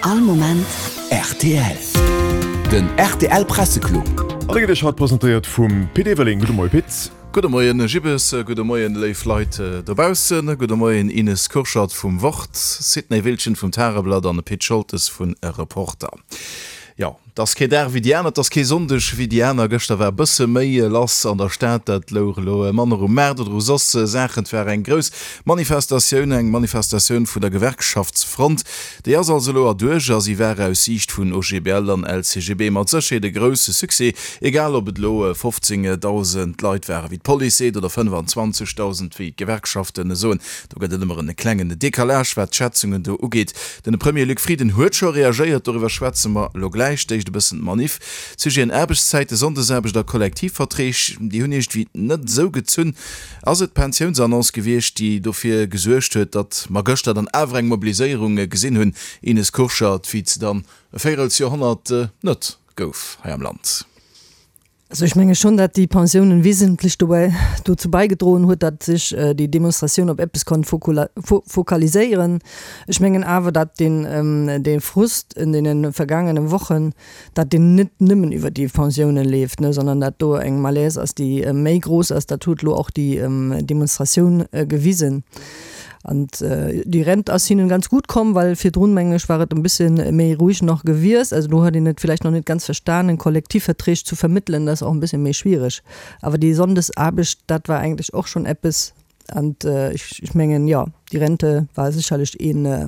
All Moment rtl. Den rtl Presseclub. An dee gëtt Iech haut presentéiert vum Pit Everling. Gudde Moie Pit. Gudde Moien Gibbes, gudde Moien léif Leit dobaussen, gudde Moien Ines Kurschat vum Wort, Sidney Wiltgen vum Tageblatt an Pit Scholtes vun Reporter. Jo, 't ass kee Dag wéi déi aner, 't ass kee Sonndeg wéi déi aner. Gëschter war e bësse méi lass an der Stad, dat louch elo manner um Maart oder u soss Saachen. 't war eng grouss Manifestatioun, eng Manifestatioun vun der Gewerkschaftsfront. Déi ass also elo erduerch a si war aus Siicht vun OGBL an LCGB mat Sécherheet e grousse Succès, egal ob et elo 15.000 Leit waren, wéi d'Police seet, oder 25.000, wéi d'Gewerkschafte soen. Do gëtt et ëmmer en klengen Decalage, wat d'Schätzungen do ugeet. Den Premier Luc Frieden huet scho reagéiert, doriwwer schwätze mer elo gläich. D'éischt e bëssen d'Manif. D'Sujeten Aarbechtszäiten, Sonndesaarbecht a Kollektivverträg, déi hunn iergendwéi net esou gezunn. Ass et d'Pensiounsannonce gewiescht, déi dofir gesuergt huet, datt mer gëschter dann awer eng Mobiliséierung gesinn hunn, Ines Kurschat, wéi et se dann e Véirelsjoerhonnert net gouf hei am Land? Also ech menge schonn, datt déi Pensiounen wesentlech dobäi dozou bäigedroen huet, datt sech déi Demonstratioun op eppes konnt fokaliséieren. Ech mengen awer, datt deen dee Frust en deene vergaangene Wochen, datt deen net nëmmen iwwer déi Pensiounen leeft, ne, sondern datt do eng Malaise ass, déi méi grouss ass. Dat huet elo och déi Demonstratioun gewisen. An déi Rent ass hinnen ganz gutt komm, well virdrun, mengen ech, war et e bësse méi roueg nach gewiescht. Also do huet een et vläicht nach net ganz verstanen. Kollektivverträg zu vermëttelen, dat ass och e bësse méi schwiereg. Awer déi Sonndesaarbecht, dat war eigentlech och schonn eppes. An ech mengen, jo, déi Rente war sécherlech ee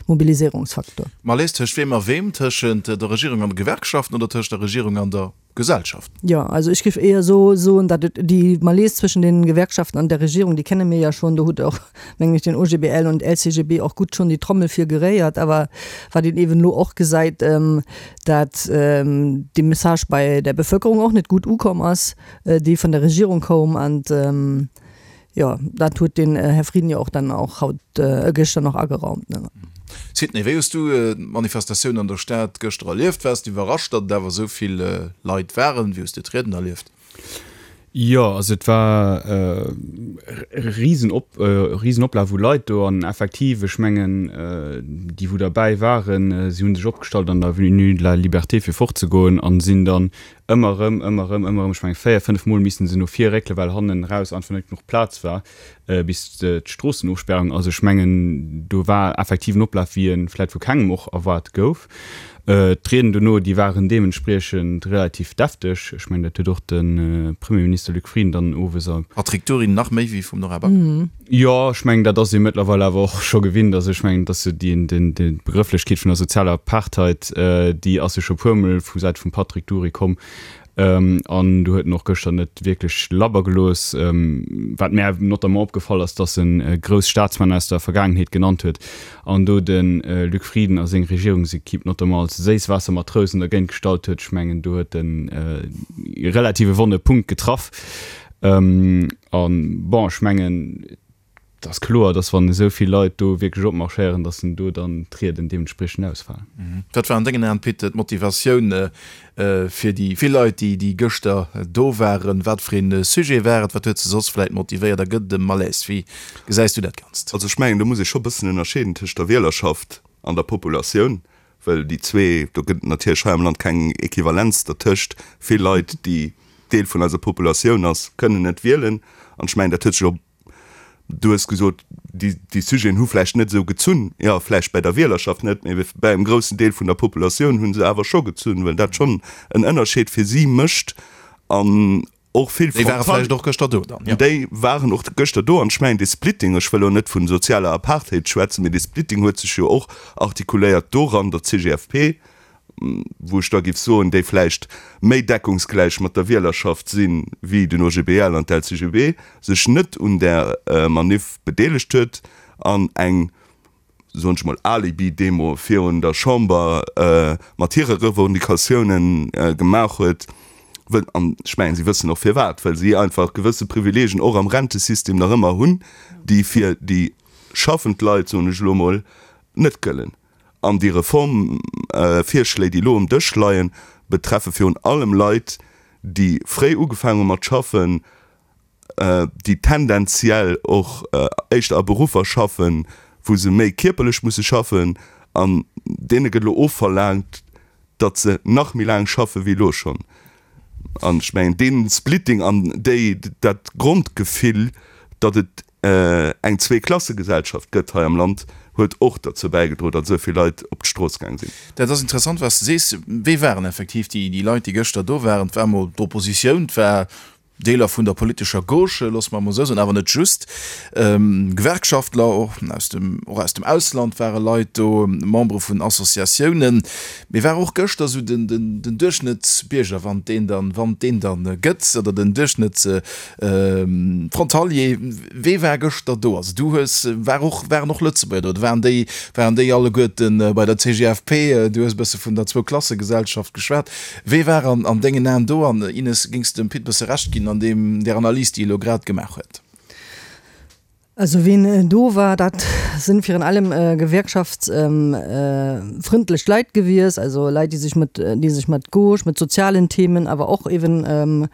Mobilisierungsfaktor. Malaise tëscht weem a weem? Tëschent der Regierung an de Gewerkschaften oder tëscht der Regierung an der Gesellschaft? Jo, also ech géif éier so soen, datt et déi Malaise zwëschen den Gewerkschaften an der Regierung, déi kenne mir ja schonn, do huet och, mengen ech, den OGBL und LCGB och gutt schonn déi Trommel fir geréiert. Awer wat een eeben elo och gesäit, dat dee Message bei der Bevölkerung och net gutt ukomm ass, dee vun der Regierung koum. An jo, dat huet den Här Frieden jo och dann och haut, gëschter nach ageraumt. Sidney, wéi hues du d'Manifestatioun an der Stad gëschter erlieft? Waars de iwwerrascht, datt et awer esou vill Leit waren? Wéi hues de d'Rieden erlieft? Jo, also et war e Risenop, Risen-Oplaf u Leit do an effektiv, ech mengen, déi wou derbäi waren, si hu sech opgestallt an der Avenue de la Liberté fir fortzegoen an sinn dann Ëmmer erëm, ëmmer erëm, ëmmer erëm, ech mengen 4, 5 Mol missten se no vir réckelen, well hannen eraus einfach net genuch Plaz war, bis d'Stroossenofsperrung. Also ech mengen, do war effektiv en Oplaf, wéi e vläit vu kengem och erwaart gouf. D'Rieden dono, déi waren deementspriechend relativ defteg. Ech mengen, dat huet och de Premierminister Luc Frieden dann owes a. Patrick Dury, Nach méi wéi vum Nora Back? Jo, ech mengen, dat ass ee mëttlerweil awer och scho gewinnt. Also ech mengen, dass déi Begrëfflechkeet vun der sozialer Apartheid, déi ass jo scho puermol vu Säite vum Patrick Dury komm. An do huet en och gëschter net wierklech labber gelooss. Wat mär notamment opgefall ass, dass en grouss Staatsmänner aus der Vergaangenheet genannt huet an do de Luc Frieden a seng Regierungsequipe notamment als Séisswaassermatrousen dergéint gestallt huet. Ech mengen, do huet en e relative wonne Punkt getraff. A bon, ech mengen, et ass kloer, datt wann esou vill Leit do wierklech opmarschéieren, datt en do dann d'Rieden deementspriechend ausfalen. Wat war an dengen Aen, Pit, d'Motivatioun fir déi vill Leit, déi déi gëschter do waren? Wat fir ee Sujet war et? Wat huet se soss vläit motivéiert? A gëtt et e Malaise? Wéi gesäis du dat Ganzt? Also ech mengen, do muss ee scho bëssen ënnerscheeden tëscht der Wielerschaft an der Populatioun. Well déi zwee, do gëtt et natierlech hei am Land keng Equivalenz dertëscht. Vill Leit, déi Deel vun eiser Populatioun ass, kënnen net wielen. An ech mengen, dat huet sech och, du hues gesot, déi, déi Sujeten hu vläicht net esou gezunn. Jo, vläicht bäi der Wielerschaft net, mee bäi engem groussen Deel vun der Populatioun hu se awer scho gezunn, well dat schonn en Ënnerscheed fir si mécht. An och vill Déi ware vläicht och gëschter do dann, jo. Déi waren och gëschter do. An ech mengen, dee Splitting, ech wëll elo net vu sozialer Apartheid schwätzen, mee dee Splitting huet sech jo och artikuléiert doran, datt d'CGFP, wou ech da géif soen, déi vläicht méi deckungsgläich mat der Wielerschaft si wéi den OGBL an d'LCGB, sech net un där Maniff bedeelegt huet an eng soen ech mol, Alibi-Demo virun der Chamber mat hire Revendicatiounen gemaach huet, wëll, an ech mengen, si wëssen och firwat, well si einfach gewësse Privileegen och am Rentesystem nach ëmmer hunn, déi fir déi schaffend Leit, soen ech elo mol, net gëllen. An déi Reformvirschléi, déi elo um Dësch leien, betreffe virun allem Leit, déi fréi ugefaangen hu mat schaffen, déi tendenziell och éischter a Beruffer schaffen, wou se méi kierperlech musse schaffen. An deene gëtt elo ofverlaangt, datt se nach méi laang schaffe wéi elo schonn. An ech mengen, dee Splitting an déi, dat Grondgefill, datt et eng Zweeklassegesellschaft gëtt hei am Land, huet och derzou bäigedroen, datt esou vill Leit op d'Strooss gaang sinn. Dat ass interessant, wat s de sees. Wie waren effektiv déi Leit, déi gëschter do waren? Et war emol d'Oppositioun, et war Deeler vun der politescher Gauche, loosse mer emol esou soen, awer net just, Gewerkschaftler, och aus dem, och aus dem Ausland ware Leit do, Membere vun Associatiounen. Mee war och gëschter esou den, den, den Duerchschnëttsbierger, wann et deen dann, wann et deen dann gëtt, oder den Duerchschnëttsfrontalier, wee war gëschter do? Also du hues, war och, waren och Lëtzebuerger do, oder waren déi, waren déi alleguerten bei der CGFP? Du hues e bësse vun der Zwouklassegesellschaft geschwat. Wee war an an dengen Aen do? An Ines, géings de dem Pit bësse Recht ginn an deem, där Analys, déi e lo grad gemaach huet? Also ween do war, dat sinn virun allem gewerkschaftsfrëndlech Leit gewies, also Leit, déi sech mat, déi sech mat Gauche, mat sozialen Themen, awer och eben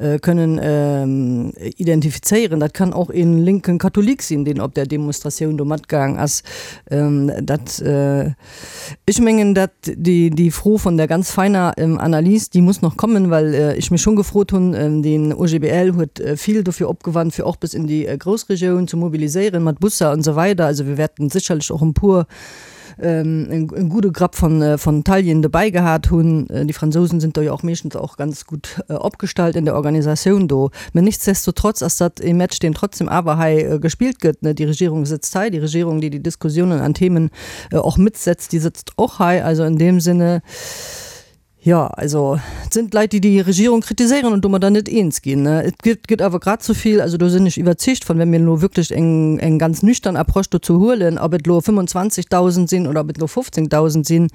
kënnen identifizéieren. Dat kann och een lénken Katholik sinn, deen op där Demonstratioun do matgaang ass. Dat. Ech mengen, dat déi Fro von der ganz feiner Analys, déi muss noch kommen, well ech mech schon gefrot hunn, den OGBL huet vill dofir opgewannt, fir och bis in déi Groussregioun ze mobiliséieren mat Busser an esou weider. Also wir wäerten sécherlech och en puer, en gudde Grapp von von Tallien dobäi gehat hunn. Déi Fransousen sind do jo och meeschtens och ganz gutt opgestallt in der Organisatioun do. Mä nichtsdestotrotz ass dat ee Match, deen trotzdem awer hei gespillt gëtt. Déi Regierung sëtzt hei, déi Regierung, déi déi Diskussiounen an Themen och mitsetzt, déi sëtzt och hei. Also in deem Sinne, jo, also et sinn d'Leit, déi déi Regierung kritiséieren an domadder net eens ginn. Et gëtt, gëtt awer grad esou vill, also do sinn ech iwwerzeegt von, wenn mir elo wierklech eng, eng ganz nüchtern Approche dozou huelen, ob et elo 25.000 sinn oder ob et elo 15.000 sinn,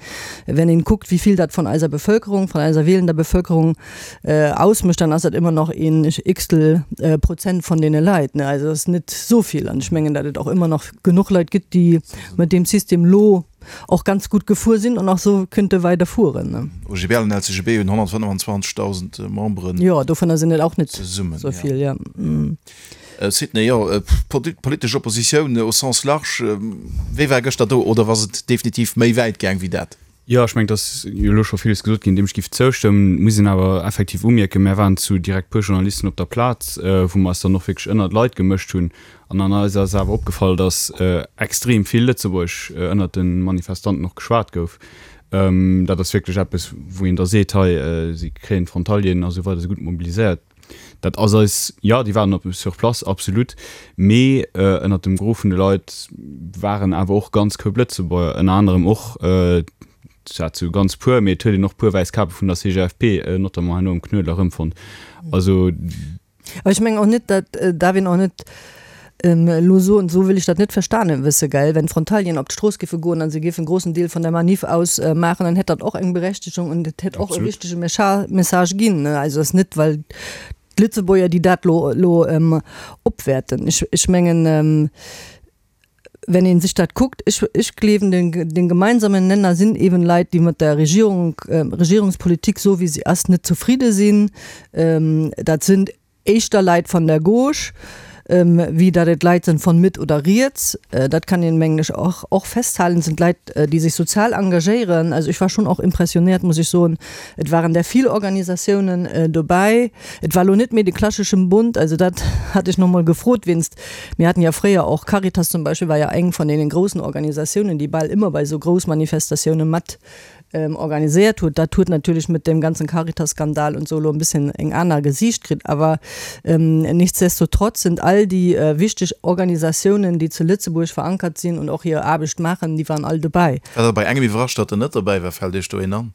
wenn een kuckt, wéi vill dat von eiser Bevölkerung, von eiser wielender Bevölkerung ausmécht, dann ass dat ëmmer nach een x-tel Prozent von deene Leit. Also dat ass net esou vill. An ech mengen, datt et och ëmmer nach genuch Leit gëtt, déi mat deem System lo och ganz gutt gefuer sinn an och sou kënnte weider fueren. OGBL an LCGB hunn 125.000 Memberen. Jo, dovunner sinn et och net esou vill, jo. Sidney, jo, politesch Oppositioun au sens large, wéi war gëschter do oder ass et definitiv méi wäit gaang wéi dat? Jo, ech mengen, et ass jo elo scho villes gesot ginn, deem ech géif zoustëmmen. Muss een awer effektiv umierken, mär waren zu direkt puer Journalisten op der Plaz, wou mer eis dann och wierklech ënnert d'Leit gemëscht hunn. An an eis ass awer opgefall, datt extrem vill Lëtzebuergesch ënnert de Manifestanten och geschwat gouf. Dat ass wierklech eppes, wou een da seet, hei, si kréien d'Frontalieren a sou weider, si gutt mobiliséiert. Dat ass eis, jo, déi waren op sur place, absolut, mee ënnert dem Gros vun de Leit waren awer och ganz Koup Lëtzebuerger, ënner anerem och, zwar zu ganz puer, mee et huet een och puer wäiss Kape vun der CGFP, notamment herno um Knuedler erëmfonnt. Also. Awer ech mengen och net, dat darf een och net elo soen, esou wëll ech dat net verstanen wësse, gell, wenn d'Frontalieren op d'Strooss géife goen an se géifen e grossen Deel vun der Manif aus maachen, dann hätt dat och eng Berechtigung und et hätt och e richtege Message ginn, ne. Also ass net well d'Lëtzebuerger, déi dat elo elo opwäerten. Ech ech mengen, wenn een sech dat kuckt, ech ech gleewen den den gemeinsamen Nenner sinn eben Leit, déi mat der Regierung, Regierungspolitik esou wéi se ass net zufriede sinn. Dat sinn éischter Leit van der Gauche, wéi datt et Leit sinn von Mëtt oder riets. Dat kann een, mengen ech, och och festhalen. Et sinn Leit, déi sech sozial engagéieren. Also ech war schon och impressionnéiert, muss ech soen. Et waren der vill Organisatiounen dobäi. Et war elo net méi de klascheschen Bund, also dat hat ech nach mol gefrot wéinst, mir haten ja fréier och, Caritas zum Beispill war ja eng von deenen groussen Organisatiounen, déi bal ëmmer bei esou grouss Manifestatiounen mat organiséiert huet. Dat huet natierlech mit dem ganzen Caritas-Skandal und so elo en bisschen eng aner Gesiicht kritt, awer nichtsdestotrotz sind all déi wichteg Organisatiounen, déi zu Lëtzebuerg verankert sinn und och hir Aarbecht maachen, déi waren all dobäi. War der bei engem iwwerrascht, datt en net dobäi war? Fält Iech do een an?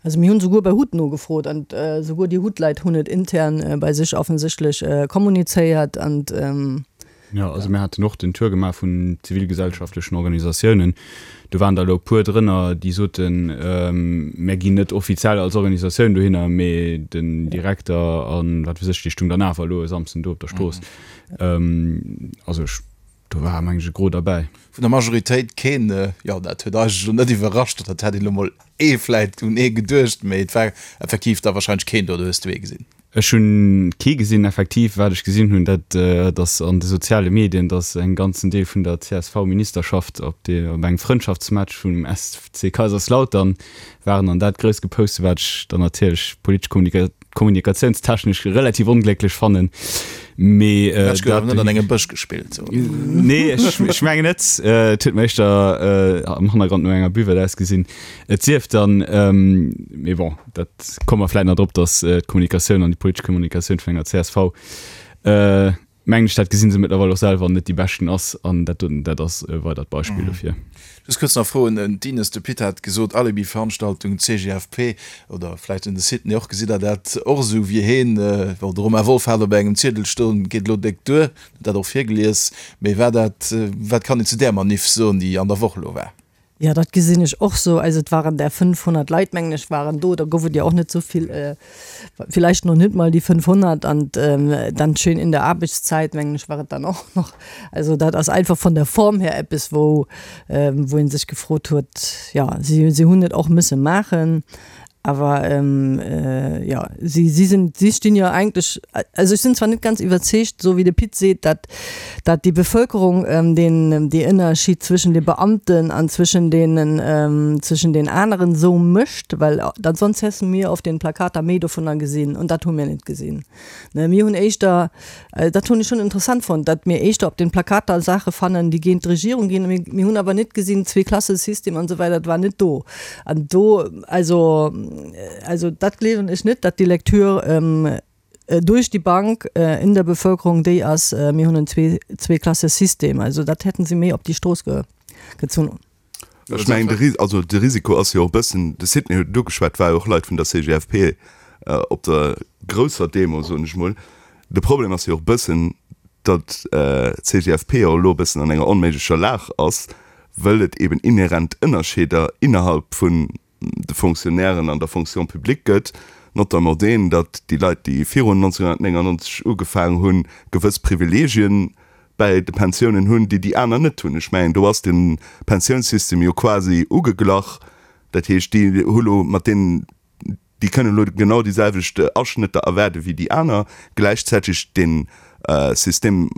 Also mir hunn souguer bei hut nogefrot an souguer déi Hut-Leit hunn et intern bei sech offensichtlech kommunizéiert an. Jo, also mir haten och den Tour gemaach vun zivilgesellschaftlechen Organisatiounen. Do waren der elo e puer drënner, déi soten, Mir ginn net offiziell als Organisatioun dohinner, mee den Direkter a wat weess ech, dee stung dann awer elo e Samsden do op der Strooss. Also ech, do war meng ech e Gros derbäi. Vun der Majoritéit keen. Jo, dat huet eigentlech elo net iwwerrascht, oder et hätt een elo mol ee vläit un ee geduecht, mee et war effektiv da wahrscheinlech keen do, do hues du ee gesinn. Ech hunn kee gesinn. Effektiv, wat ech gesinn hunn, dat ass an de soziale Medien, datt en ganzen Deel vun der CSV-Ministerschaft op de, op engem Frëndschaftsmatch vum SC Kaiserslautern waren an dat grouss gepost hunn, wat ech dann natierlech politesch kommunikatiounstechnesch relativ onglécklech fannen. Mee De Match gouf awer net an engem Bësch gespillt. Nee, ech mengen net. Et huet mer éischter am Hannergrond no enger Buvette ausgesinn. Et sief dann, mee bon, dat komme mer vläit nach drop, datt d'Kommunikatioun an déi politesch Kommunikatioun vun enger csv, mengen ech, dat gesi se mëttlerweil och selwer, net déi beschten ass. An dat doten, dat ass e weidert Beispill dofir. Just kuerz nach froen, d'Ines, de Pit hat gesot, Alibi-Veranstaltung, CGFP, oder vläicht un de Sidney och, gesitt Der dat och esou wéi heen? Bon, de Romain Wolff hat op engem Ziedel stoen, geet elo déck duer, huet dat och virgelies. Mee war dat, wat kann een zu där Maniff soen, déi an der Woch elo war? Jo, dat gesinn ech och sou. Also et waren där 500 Leit, mengen ech, waren do. Da gouf et jo och net sou vill, villäicht nach net mol déi 500. An dann schön in der Arbeitszeit, mengen ech, war et dann och nach. Also dat ass einfach von der Form her eppes, wou, wou ee sech gefrot huet, jo, si, si hunn et och mësse maachen. Awer jo, si, si sinn, si stinn jo eigentlech, also ech sinn zwar net ganz iwwerzeegt, esou wéi de Pit seet, datt, datt déi Bevölkerung deen, dee Ënnerschied zwëschen de Beamten an zwëschen deenen, zwëschen den aneren esou mécht, well dann sonst hässe mir auf den Plakater méi dovunner gesinn an dat hu mir net gesinn. Ne, mir hunn éischter, dat hunn ech schonn interessant fonnt, datt mir éischter op den Plakater Saache fannen, déi géint d'Regierung ginn. Mir, mir hunn awer net gesinn, Zweeklassesystem an esou weider, dat war net do. An do, also, also dat gleewen ech net, datt déi Lecture duerch déi Bank in der Bevölkerung déi ass, mir hunn en Zwee, Zweeklassesystem. Also dat hätten se méi op déi Strooss gezunn. Ech mengen, de Ris-, also de Risiko ass jo och e bëssen, de Sidney huet et ugeschwat, war jo och Leit vun der CGFP op der grousser Demo, soen ech mol. De Problem ass jo och e bëssen, datt d'CGFP jo elo e bëssen an enger onméiglecher Lag ass, wëll et eben inhärent Ënnerscheeder innerhalb vun de Fonctionnairen an der Fonction publique gëtt, notamment deen, datt déi Leit, déi virun 1999 ugefaangen hunn, gewëss Privilegien bäi de Pensiounen hunn, déi déi aner net hunn. Ech mengen, do ass de Pensiounssystem jo quasi ugeglach. Dat heescht, déi hu lo mat deenen, déi kënnen elo genau déi selwecht Aschnëtter erwaarde wéi déi aner. Gläichzäiteg dee Système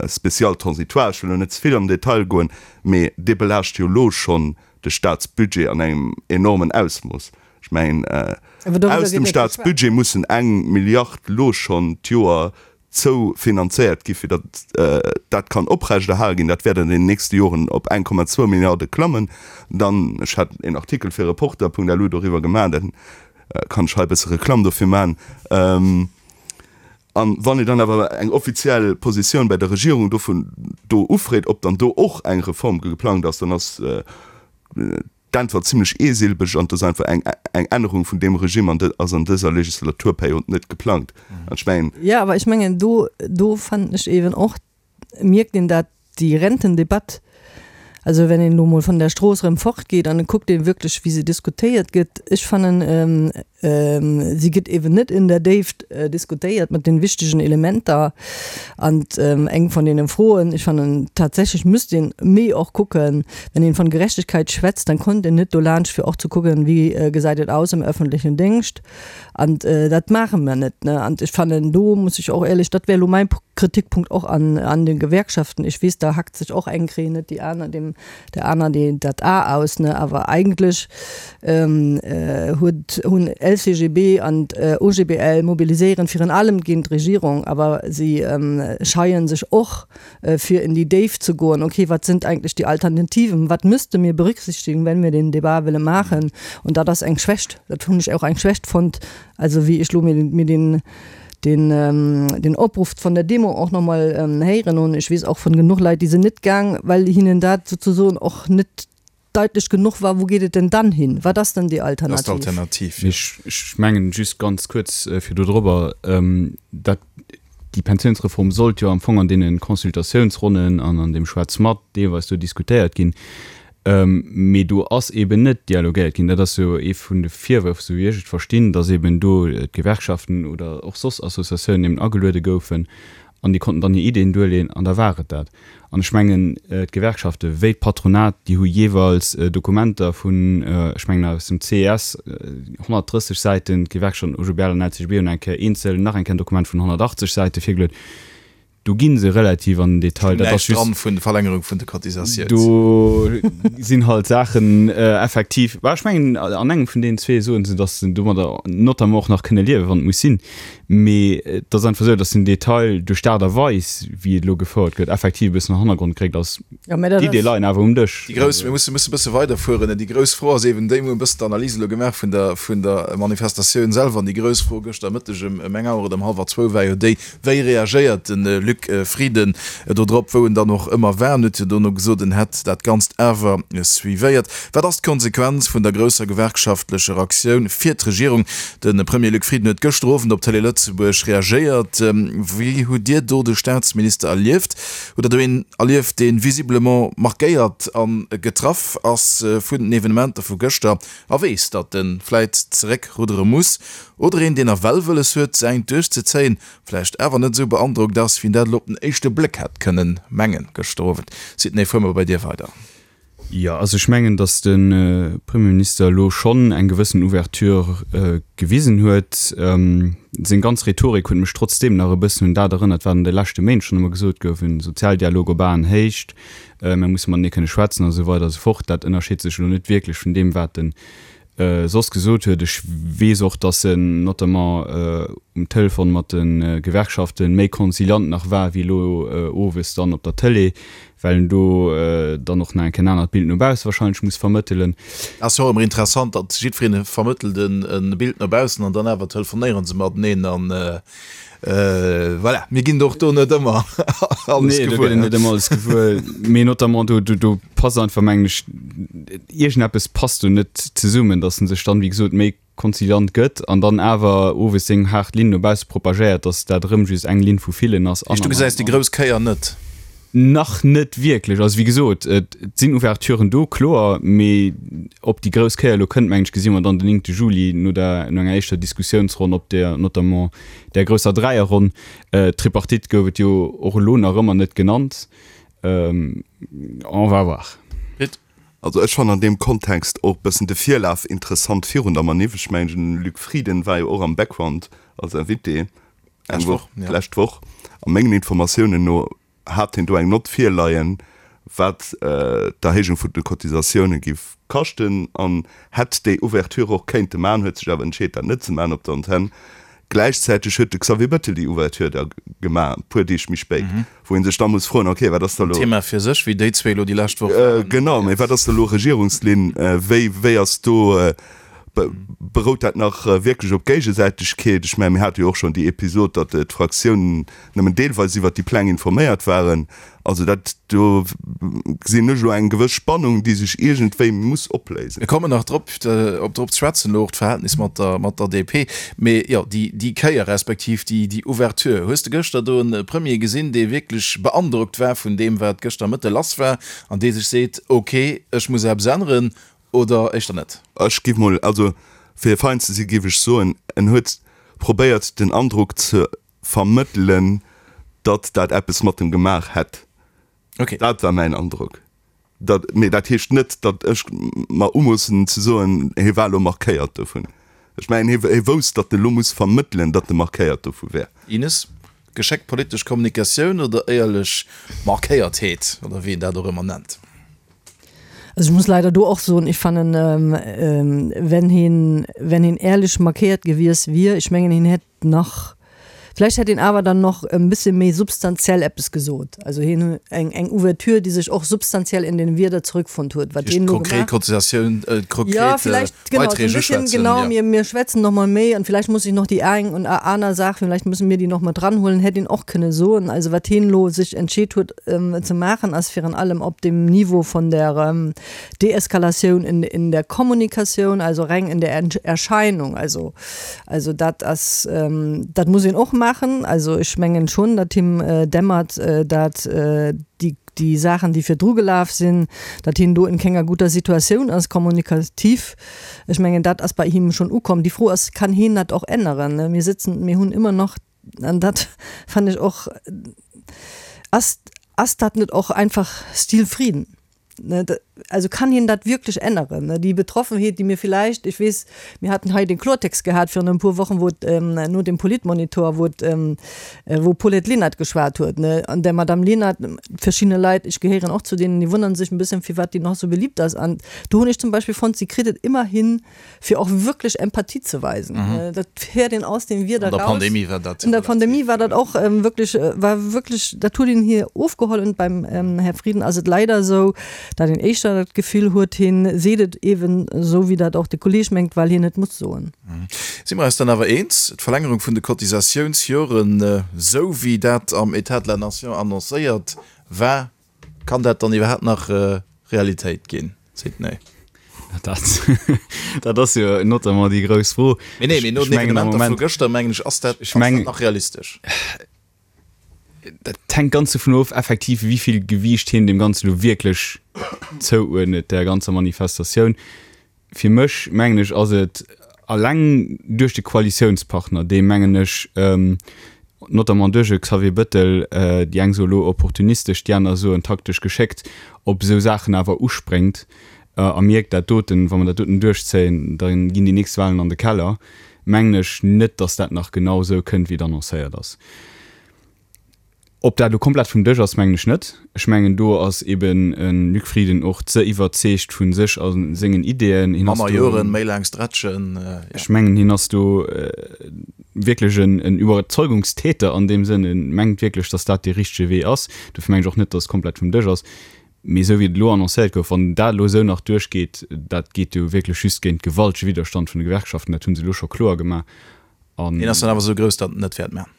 spécial transitoire, ech wëll elo net ze vill am Detail goen, mee dee belaascht jo elo schonn de Staatsbudget an engem enormen Ausmooss. Ech mengen, aus dem Staatsbudget mussen eng Milliard elo schonn d'Joer zoufinanzéiert gi fir datt dat kann oprechterhale ginn. Dat wäert an den nächste Joren op 1,2 Milliarde klammen. Dann, ech hat een Artikel fir Reporter.lu doriwwer gemaach, da kann ech hei e bësse Reklamm dofir maachen. An wann ee dann awer eng offiziell Positioun bei der Regierung dovun do ufreet, ob dann do och eng Reform geplangt ass, dann ass d'Äntwert zimlech eesilbeg an et ass einfach eng eng Ännerung vun deem Regime an ass an dëser Legislaturperiod net geplangt. An ech mengen. Jo, awer ech mengen, do do fannen ech eeben och, mierkt een dat déi Rentendebatt, also wenn een elo mol vun der Strooss erëm fortgeet an et kuckt ee wierklech wéi se diskutéiert gëtt, ech fannen si gëtt eeben net in der Déift diskutéiert mat den wichtegen Elementer. An eng vun deene Froen, ech fannen tatsächlech müsst een méi och kucken, wenn een von Gerechtigkeit schwätzt, dann kommt een net dolaanscht fir och ze kucken, wéi gesäit et aus am öffentlichen Déngscht. An dat maache mer net. An ech fannen, do muss ech och éierlech, dat wär elo mäi Kritikpunkt och an an de Gewerkschaften, ech weess, da hackt sech och eng Kréi net déi aner deem der aner déi dat A aus, ne, awer eigentlech huet hunn LCGB an OGBL mobiliséieren virun allem géint d'Regierung, awer si scheien sech och fir in die Déift ze goen, okay, wat sind eigentlich die Alternativen, wat müsste mir berücksichtigen, wenn wir den Débat wëlle maachen? Und dat ass eng Schwächt, dat hunn ech och eng Schwächt fonnt, also wéi ech elo mir mir den den den Opruff von der Demo och nach mol héieren hunn. Ech weess och vun genuch Leit, déi sinn net gaang, well hinnen dat souzesoen och net deitlech genuch war, Wo geet et denn dann hin? Wat ass denn déi Alternativ? Alternativ, jo. Ech mengen, just ganz kuerz fir do drobber, dat déi Pensionsreform sollt jo am Fong an deene Consultatiounsronnen an an deem Schwätz mat deelweis do diskutéiert ginn, mee do ass eeben net dialogéiert ginn. Dat ass jo ee vun de Virwërf, esou wéi ech et verstinn, datt eeben do d'Gewerkschaften oder och soss Associatiounen eben ageluede goufen. An déi konnten dann hir Ideen duerleeën an da war et dat. An ech mengen, d'Gewerkschafte wéi d'Patronat, déi hu jeeweils Dokumenter vun, ech mengen aus dem CES, 130 Säiten, d'Gewerkschaften OGBL an LCGB hunn eng Kéier eenzel nach eng Kéier en Dokument vun 180 Säite virgeluet. Do gi se relativ an den Detail. Dat ass just. Dran vun der Verlängerung vun de Cotisatiouns. Do sinn halt Saachen effektiv, bah ech mengen an engem vun deenen zwee soen se, datt se domadder notamment och nach kënne liewen, wann et muss sinn. Mee et ass einfach esou, datt den Detail duerch d'Aart a Weis, wéi et elo gefouert gëtt, effektiv e bëssen an den Hannergrond geréckt ass. D'Idee leien awer um Dësch. Déi grouss, mir musse musse e bësse weiderfueren, déi grouss Fro ass eben déi, mir hunn e bëssen d'Analys elo gemaach vun der, vun der Manifestatioun selwer, an déi grouss Fro gëschter Mëtteg ëm eng Auer oder ëm hallwer zwou war jo déi, Wéi reagéiert de Luc Frieden do drop, wou en dann och ëmmer war? En huet jo dono gesot, en hätt dat Ganzt awer suivéiert. Wat ass d'Konsequenz vun der grousser gewerkschaftlecher Aktioun fir d'Regierung? De Premier Luc Frieden huet gëschter Owend op Télé Lëtzebuerg reagéiert. Wéi hutt Dir do de Staatsminister erlieft? Hutt Der do een erlieft, dee visiblement markéiert a getraff ass vun den Evenementer vu gëschter a weess, datt e vläit zeréckruddere muss? Oder een, deen nawell wëlles huet, säint duerchzezéien, vläicht awer net esou beandrockt ass, wéi en dat elo op den éischte Bléck hätt kënnen mengen gëschter Owend. Sidney, fuere mer bei dir weider. Jo, also ech mengen, datt de Premierminister elo schonn eng gewëssen Ouverture gewisen huet. Seng ganz Rhetorik huet mech trotzdeem nach e bëssen un dat erënnert, wat an de leschte Méint schonn ëmmer gesot gouf, en Sozialdialog op Aenhéicht, mir musse matenee kënne schwätzen a sou weider a sou fort. Dat ënnerscheet sech elo net wierklech vun deem, wat de soss gesot huet. Ech weess och, datt en notamment um Telefon mat de Gewerkschafte méi conciliant nach war wéi elo owes dann op der Tëlee, well en do dann och nach eng Kéier en anert Bild no bausse wahrscheinlech muss vermëttelen. Ass jo och ëmmer interessant, datt jiddweree vermëttelt e Bild no baussen an dann awer telefonéiere se mateneen an Voilà, mir ginn och do net ëmmer alles nee, gewuer. Nee, net ëmmer alles gewuer. Mee notamment do, do, do passt einfach, mengen ech, iergendeppes passt do net zesummen, dass en sech dann, wéi gesot, méi konziliant gëtt an dann awer owes seng haart Linn no bausse propagéiert, dass dat erëm just eng Linn vu villen ass. An, du gesäis déi grouss Kéier net? Nach net wierklech. Also wéi gesot, et sinn Ouverturen do, kloer, mee ob déi grouss Kéier elo kënnt, mengen ech, gesi mer dann den 9 Juli no der, no enger éischter Diskussiounsronn op där notamment där grousser Dräierronn. D'Tripartite gouf et jo och elo nach ëmmer net genannt. On va voir. Pit. Also ech fannen an deem Kontext och e bëssen de Virlaf interessant virun der Maniff. Ech mengen, den Luc Frieden war jo och am Background als Invité eng Woch, d'lescht Woch. A mengen Informatiounen no hat hien do eng Nott virleien, wat d'Erhéijung vun de Cotisatioune giff kaschten an hätt déi Ouverture och kéinte maachen, huet sech awer entscheet, dat net ze maachen op der Antenn. Gläichzäiteg huet de Xavier Bettel déi Ouverture da gemaach, e puer Deeg méi spéit, wou ee sech da muss froen, okay, wat ass da elo. Thema fir sech, wéi déi zwee elo déi lescht Woch waren. Genau, mee wat ass da elo Regierungslinn? Wéi, wéi ass do, berout dat nach wierklech op Géigesäitegkeet? Ech mengen, mir hate jo och schonn déi Episod, datt d'Fraktiounen nëmmen deelweis iwwert déi Pläng informéiert waren. Also dat, do gesinn ech elo eng gewëss Spannung, déi sech iergendwéi muss opléisen. Mir kommen nach drop, op drop ze schwätzen, elo och d'Verhältnis mat der, mat der DP. Mee jo, déi, déi Kéier respektiv déi, déi Ouverture. Hues de gëschter do e Premier gesinn, dee wierklech beandrockt war vun deem, wat gëschter Mëtte lass war an dee sech seet, ok, ech muss eppes änneren, oder éischter net? Ech giff mol, also fir fein ze si giff ech soen, en huet probéiert den Androck ze vermëttelen, datt dat eppes mat em gemaach hätt. Okay. Dat war mäin Androck. Dat, mee dat heescht net, datt ech mer umoossen ze soen, hie war elo markéiert dovun. Ech mengen, hie, hie wousst, datt e lo muss vermëttelen, datt e markéiert dovu wär. Ines, Geschéckt politesch Kommunikatioun oder éierlech Markéiertheet, oder wéi een dat och ëmmer nennt? Also ech muss leider do och soen, ech fannen, wenn hien, wenn hien éierlech markéiert gewies wier, ech mengen, hien hätt nach, vläicht hätt een awer dann nach e bësse méi substantiell eppes gesot. Also hien eng eng Ouverture, déi sech och substantiell in den Wierder zurückfonnt huet, wat hien elo gemaach. Konkret Cotisatioun, konkret ja, vielleicht, genau, so ein bisschen, genau, ja. mir, mir schwätzen noch mal méi an vielleicht muss ich noch déi eng und aner Saach, vielleicht müssen mir déi noch mat dranhuelen, hätt een och kënne soen. Also wat hien elo sech entscheet huet ze maachen, ass virun allem op dem Niveau von der Deeskalatioun in in der Kommunikatioun, also reng in der Erscheinung, also Also dat ass, dat muss een och maachen. Also ech mengen schonn, datt him dämmert, datt déi, déi Saachen, déi virdru gelaf sinn, datt hien do in kenger guter Situatioun ass kommunikativ. Ech mengen, dat ass bei him schonn ukomm. Déi Fro ass, kann hien dat och änneren? Mir sëtzen, mir hunn ëmmer nach. an dat fannen ech och, ass, ass dat net och einfach Stil Frieden? Also kann hien dat wierklech änneren? Déi Betroffenheet, déi mir villäicht, ech weess, mir haten hei den Klortext gehat virun e puer Wochen, wou et no dem Politmonitor, wou et, wou d'Paulette Lenert geschwat huet, an der Madame Lenert, verschidde Leit, ech gehéieren och zu deenen, déi wonnere sech e bëssen, firwat déi nach esou beliebt ass. An do hunn ech zum Beispill fonnt, si kritt et ëmmer hin, fir och wierklech Empathie ze weisen. Dat héiert een aus den Wierder raus. An der Pandemie war dat. An der Pandemie war dat och wierklech, war wierklech, dat huet een hir ofgeholl. Und beim Här Frieden ass et leider esou, datt een éischter dat Gefill huet, hien seet et eeben esou, wéi dat och de Kolleeg mengt, well hien et muss soen. Si mer eis dann awer eens, d'Verlängerung vun de Cotisatiounsjoren, esou wéi dat am État de la Nation annoncéiert war, Kann dat dann iwwerhaapt nach Realitéit ginn, Sidney? Dat, dat ass jo notamment déi grouss Fro. Mee nee, mee no den Evenementer vu gëschter, mengen ech, ass dat, ass dat nach realistesch? Dat hänkt ganz dovun of, effektiv, wéi vill Gewiicht hien deem Ganze elo wierklech zouuerdnet, där ganzer Manifestatioun. Fir mech, mengen ech, ass et alleng duerch de Koalitiounspartner, dee, mengen ech, notamment duerch e Xavier Bettel, déi eng soe lo opportunistesch, déi aner soen taktesch geschéckt, op esou Saachen awer uspréngt a mierkt, dat doten, wa mer dat doten duerchzéien, da ginn déi nächst Wahlen an de Keller, mengen ech net, datt dat nach genau esou kënnt, wéi et annoncéiert ass. Ob dat elo komplett vum Dësch ass, mengen ech net. Ech mengen, do ass eben e Luc Frieden och ze iwwerzeegt vu sech a sengen Ideeën. Hien ass do. Manner Joren, méi laang stretchen, jo. Ech mengen, hien ass do wierklech en Iwwerzeugungstäter an deem Sënn. E mengt wierklech, datt dat dee richtege Wee ass. Dofir mengen ech och net, datt et komplett vum Dësch ass. Mee esou wéi et elo annoncéiert gouf, wann dat elo esou nach duerchgeet, dat geet jo wierklech just géint gewaltege Widderstand vun de Gewerkschaften. Dat hu se elo scho kloer gemaach. An. Deen ass dann awer esou grouss, datt en net wäert man.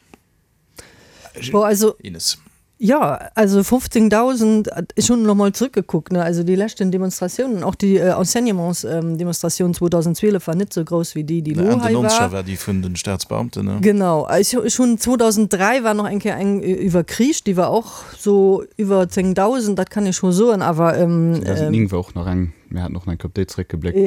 Bon, also, Ines. Jo, also 15.000, ech hunn elo mol zrëckgekuckt, ne, also déi leschten Demonstratiounen, och déi Enseignementsdemonstratioun 2012 war net esou grouss wéi déi, déi elo hei war. Enn den Nonzeger war déi vun den Staatsbeamten, ne? Genau, ech hunn 2003 war nach eng Kéier eng iwwer Krich, déi war och sou iwwer 10.000, dat kann ee scho soen, awer. 2009 war och nach eng, mir haten och nach eng Kéier op déi zrëckgebléckt,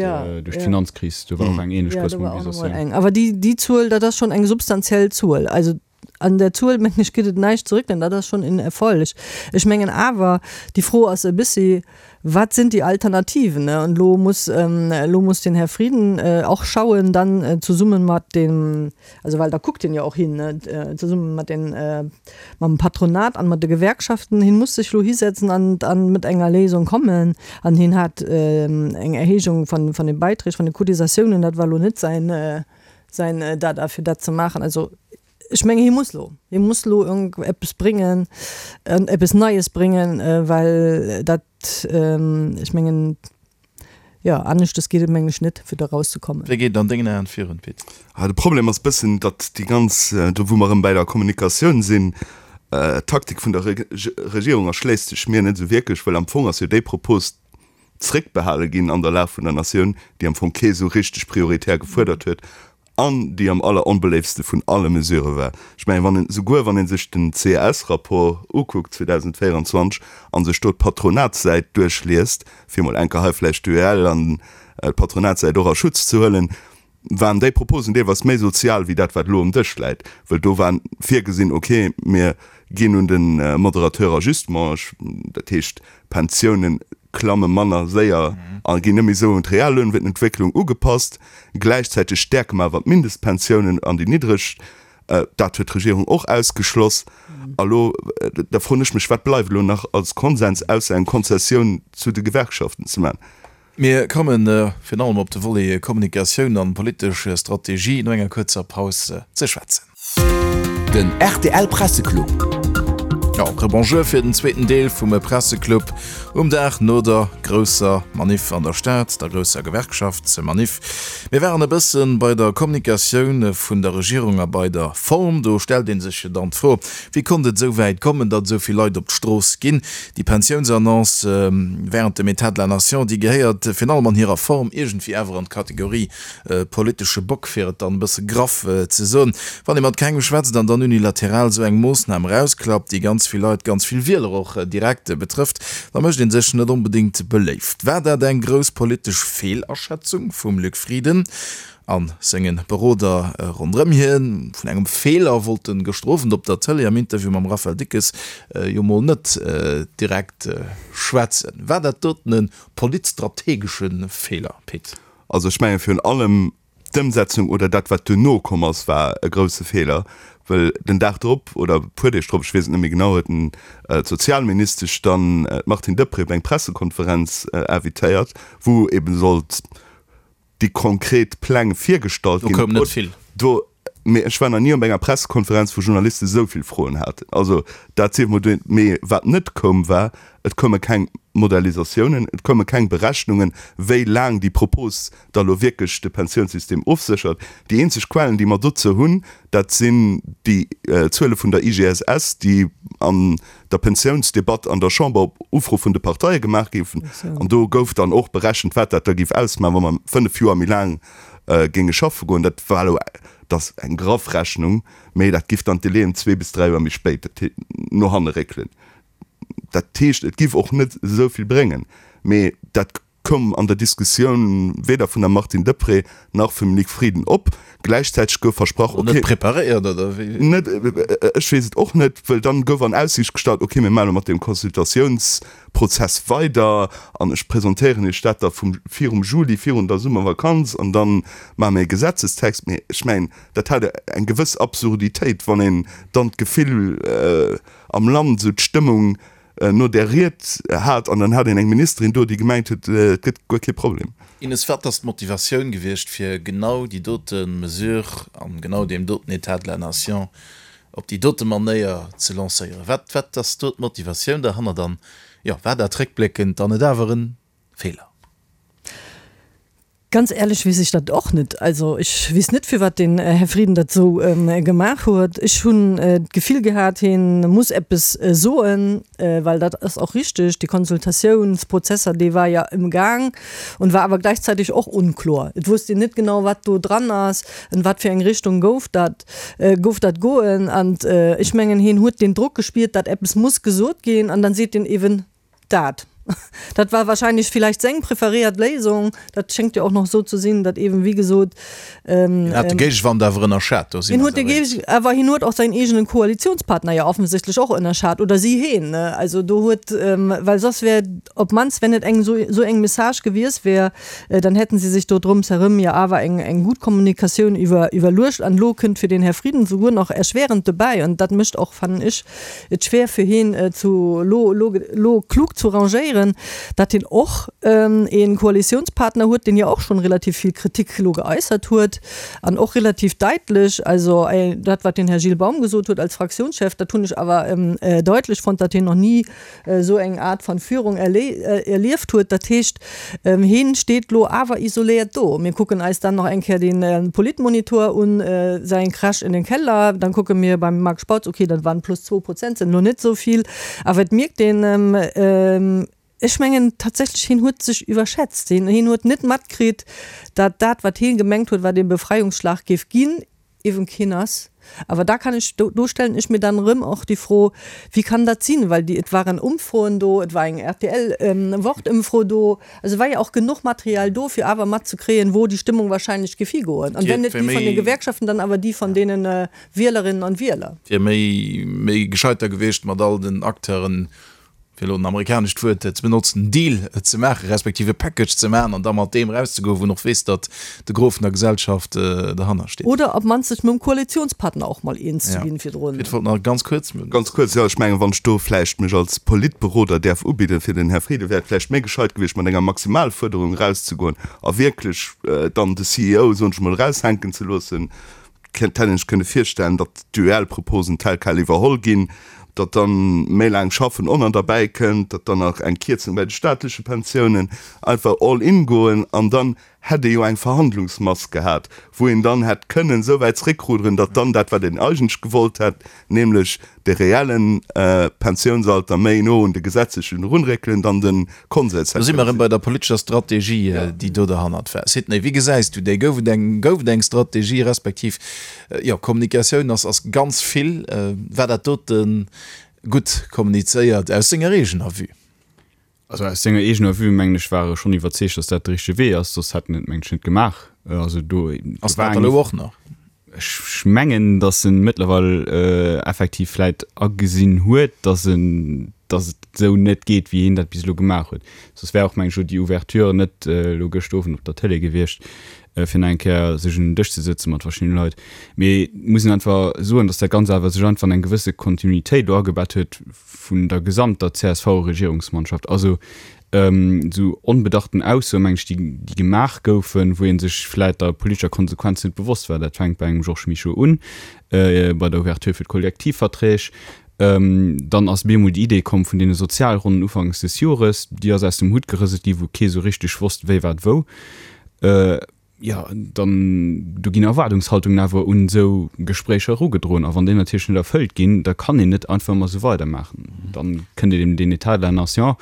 duerch d'Finanzkris, do war och eng ähnlech grouss Mobilisatioun. Awer déi, déi Zuel, dat ass schonn eng substantiell Zuel. Also An der Zuel, mengen ech, gëtt et näischt ze réckelen. Dat ass schonn en Erfolg. Ech mengen awer, déi Fro ass e bëssi, Wat sinn déi Alternativen? An elo muss, elo muss den Här Frieden och schauen, dann zesumme mat dem, also well da kuckt hien jo och hin, zesumme mat den, mam Patronat an mat de Gewerkschaften, hien muss sech elo hisetzen an, an mat enger Léisung kommen. An hien hat eng Erhéijung van, van de Beiträg, van de Cotisatiounen, dat war elo net säin, säin Dada fir dat ze maachen. Also ech mengen hie muss lo, hie muss lo eppes bréngen, eppes Neies bréngen, well dat, ech mengen, jo aneschtes geet et mengen ech net fir do erauszekommen. Wéi geet et an dengen Aen virun, Pit? De Problem ass bëssen, datt déi ganz, do wou mer erëm bäi der Kommunikatioun sinn, d'Taktik vun der Regierung erschléisst sech mir net esou wierklech, well am Fong ass jo déi Propos zréckbehale ginn an der Lag vun der Natioun, déi am Fong kee sou richteg prioritär gefuerdert huet an déi am alleronbeléiftste vun alle Mesurë war. Ech mengen, wann een, souguer wann ee sech den CES-Rapport ukuckt 2024 a sech do d'Patronatssäit duerchliest, fir emol eng Kéier hei vläicht d'UEL an d'Patronatssäit och a Schutz ze huelen, waren déi Proposen deelweis méi sozial wéi dat, wat elo um Dësch läit, well do war virgesinn, okay, mir ginn un de Modérateur Ajustement, dat heescht, d'Pensiounen klamme manner séier a ginn net méi esou un d'Reallounentwécklung ugepasst. Gläichzäiteg stäerke mer awer d'Mindestpensiounen an déi niddreg. Dat huet d'Regierung och ausgeschloss. A lo, da froen ech mech, wat bleift elo nach als Konsens, ausser eng Konzessioun zu de Gewerkschaften ze maachen? Mir kommen virun allem op de Volet Kommunikatioun an politesch Strategie no enger kuerzer Paus ze schwätzen. Den rtl Presseclub. Jo, Rebonjour fir den zweeten Deel vum Presseclub um Dag no der grousser Maniff an der Stad, der grousser Gewerkschaftsmaniff. Mir waren e bësse bei der Kommunikatioun vun der Regierung a bei der Form. Do stellt ee sech jo dann d'Fro, Wéi konnt et esou wäit kommen, datt esou vill Leit op d'Strooss ginn? Déi Pensiounsannonce während dem État de la Nation, déi gehéiert virun allem an hirer Form iergendwéi awer an d'Kategorie politesche Bock, fir et dann e bësse graff ze soen. Wann ee mat kengem schwätzt an dann unilateral esou eng Moossnam erausklappt, déi ganz. ganz vill Leit, ganz vill Wieler och direkt betrëfft, da mécht ee sech net onbedéngt beléift. War dat eng grouss politesch Feelaschätzung vum Luc Frieden a senge Beroder ronderëm hien? Vun engem Feeler wollt de gëschter Owend op der Tëlee am Interview mam Raphaël Dickes jo mol net direkt schwätzen. War dat doten e politstrategesche Feeler, Pit? Also ech menge virun allem D'Ëmsetzung oder dat wat duerno komm ass, war e grousse Feeler, well den Dag drop oder e puer Deeg drop, ech weess et net méi genau, huet den d'Sozialministesch dann d'Martine Deprez op eng Pressekonferenz invitéiert, wou eben sollt déi konkret Pläng virgestallt ginn. Do koum net vill. Do, mee ech war nach ni op enger Pressekonferenz, wou Journaliste esou vill Froen haten. Also dat sief mol dohin. Mee wat net koum, war, et koume keng Modellisatiounen, et koume keng Berechnungen, wéi laang déi Propos da lo wierklech de Pensiounssystem ofséchert. Déi eenzeg Quellen, déi mer dozou hunn, dat sinn déi Zuele vun der IGSS, déi an der Pensiounsdebatt an der Chamber op Ufro vun de Parteie gemaach goufen. An do gouf dann och berechent, wat dat da géif ausmaachen, wa mer 5 Joer méi laang géinge schaffe goen. Dat war elo, dat ass eng graff Rechnung, mee dat giff dann d'Délaiën zwee bis dräi Joer méi spéit no hanne réckelen. Dat heescht, et giff och net esou vill bréngen. Mee dat koum an der Diskussioun weder vun der Martine Deprez nach vum Luc Frieden op. Gläichzäiteg gouf versprach, ok. Net preparéiert, oder wéi? Net, ech weess et och net, wëll dann gouf an Aussiicht gestallt, ok, mir maache lo mat deem Consultatiounsprozess weider an ech presentéieren Iech dat da vum, virum Juli, virun der Summervakanz an da maache mir e Gesetzestext. Mee ech mengen, dat hat eng gewëss Absurditéit, wann een dann d'Gefill am Land, esou d'Stëmmung, no där Ried hat an dann hat een eng Ministerin do, déi gemengt huet, et gëtt guer kee Problem. Ines, wat ass d'Motivatioun gewiescht, fir genau déi dote Mesure an genau deem doten État de la nation op déi dote Manéier ze lancéieren? Wat, wat ass do d'Motivatioun derhannert an, jo, war dat réckbléckend dann net awer e Feeler? Ganz ehrlech weess ech dat och net. Also ech weess net firwat den Här Frieden dat esou gemaach huet. Ech hunn d'Gefill gehat, hien muss eppes soen, well dat ass och richteg, déi Konsultatiounsprozesser, dee war jo am Gaang und war awer gleichzeitig och unkloer. Et wusst een net genau wat do dran ass, an wat fir eng Richtung gouf dat gouf dat goen. An ech mengen hien huet deen Drock gespiert, dat eppes muss gesot ginn an dann seet en eeben, Dat. Dat war wahrscheinlech vielleicht seng preferéiert Léisung. Dat schéngt jo och nach esou ze sinn, datt eeben, wéi gesot. Hien hat de Géigewand awer ënnerschat, do si mer eis awer eens. Awer hien huet och säin eegenen Koalitionspartner jo offensichtlech och ënnerschat, oder si heen. Also do huet, well soss wär op d'mannst, wenn et eng esou eng Message gewies wär, dann hätten si sech do drëms erëm jo awer eng eng gutt Kommunikatioun iwwer iwwerluecht. An elo kënnt fir den Här Frieden souguer nach erschwerend dobäi, an dat mécht och, fannen ech, et schwer fir heen zu lo lo lo klug zu rangéieren, datt hien och een Koalitiounspartner huet, deen jo och schonn relativ vill Kritik lo geäussert huet an och relativ daitlech. Also dat wat den Här Gilles Baum gesot huet als Fraktiounschef, dat hunn ech awer deutlech fonnt, datt hien noch ni esou eng Art van Führung erlieft huet. Dat heescht, heen steet lo awer isoléiert do. Mir kucken eis dann nach eng Kéier den Politmonitor un, säin Crash in den Keller, dann kucke mir beim Marc Spautz, okay, dat waren plus zwou Prozent, sinn lo net esou vill, awer et mierkt een, ech mengen tatsächlech, heen huet sech iwwerschätzt. Heen huet net matkritt, dat dat, wat heen gemengt huet, wat ee Befreiungsschlag géif ginn, Eben keen ass. Awer da kann ech, do stellen ech mir dann erëm och déi Fro, Wie kann dat sinn? Well déi, et waren Umfroen do, et war eng RTL-Wort-Ëmfro do, also et war jo och genuch Material do, fir awer matzekréien, wou déi Stëmmung wahrscheinlech géif higoen. An wenn net déi vun de Gewerkschaften, dann awer déi vun deene Wielerinnen an Wieler. Wier méi, méi gescheiter gewiescht, mat all den Acteuren fir elo en amerikanescht Wuert ze benotzen, en Deal ze maachen, respektiv e Package ze maachen an da mat deem erauszegoen, wou en och weess, datt de Gros vun der Gesellschaft derhanner steet. Oder op d'mannst sech mam Koalitionspartner och mol eens ze ginn virdrun. Ech wollt nach ganz kuerz. Ganz kuerz, jo, ech mengen, wann ech do vläicht mech als Politberoder däerf ubidden fir den Här Frieden, wär et vläicht méi gescheit gewiescht, mat enger Maximalfuerderung erauszegoen a wierklech dann de CEO, soen ech emol, eraushänken ze loossen. Hätt een sech kënne virstellen, datt d'UEL-Proposen tel quel iwwerholl ginn, datt dann méi laang schaffen och nach derbäi kënnt, datt dann nach eng Kierzung bei de staatleche Pensiounen, einfach all in goen an dann hätt ee jo eng Verhandlungsmass gehat, wou een dann hätt kënnen esou wäit zréckruderen, datt dann dat, wat een eigentlech gewollt hätt, nämlech de reellen Pensiounsalter méi no un de gesetzlechen erunréckelen, dann de Konsens hätt. Do si mer erëm bei der politescher Strategie, déi do derhannert war. Sidney, wéi gesäis du déi? Gouf et eng, gouf et eng Strategie, respektiv, jo, Kommunikatioun ass, ass ganz vill. War dat dote. Gutt kommunizéiert aus senger eegener Vue. Also aus senger eegener Vue, mengen ech, war e schonn iwwerzeegt, datt dat de richtege Wee ass, soss hätt en et, mengen ech, net gemaach. Also do Ass en dat elo och nach? Ech mengen, datt en mëttlerweil effektiv vläit agesinn huet, datt en, datt et esou net geet, wéi hien dat bis elo gemaach huet. Soss wär och, mengen ech, elo déi Ouverture net elo gëscht Owend op der Tëlee gewiescht, fir nach eng Kéier sech un den Dësch ze sëtze mat verschiddene Leit. Mee et muss een einfach soen, datt dat Ganzt awer sech einfach an eng gewësse Kontinuitéit elo agebett huet vun der gesamter CSV-Regierungsmannschaft. Also esou onbedachten Aussoen, meng ech, déi déi gemaach goufen, wou ee sech vläit der politescher Konsequenz net bewosst war. Dat fänkt bei engem Georges Mischo un, bei der Ouverture fir d'Kollektivverträg. Dann ass bemol déi Idee komm vun deene Sozialronnen ufanks des Jores, déi ass aus dem Hutt gerëselt gi, wou kee sou richteg wosst, wéi wat wou. Jo, dann, do ginn Erwaardungshaltungen awer un esou Gespréicher erugedroen. A wann déi natierlech net erfëllt ginn, da kann een net einfach ëmmer esou weidermaachen. Dann kënnt eben deen État de la nation,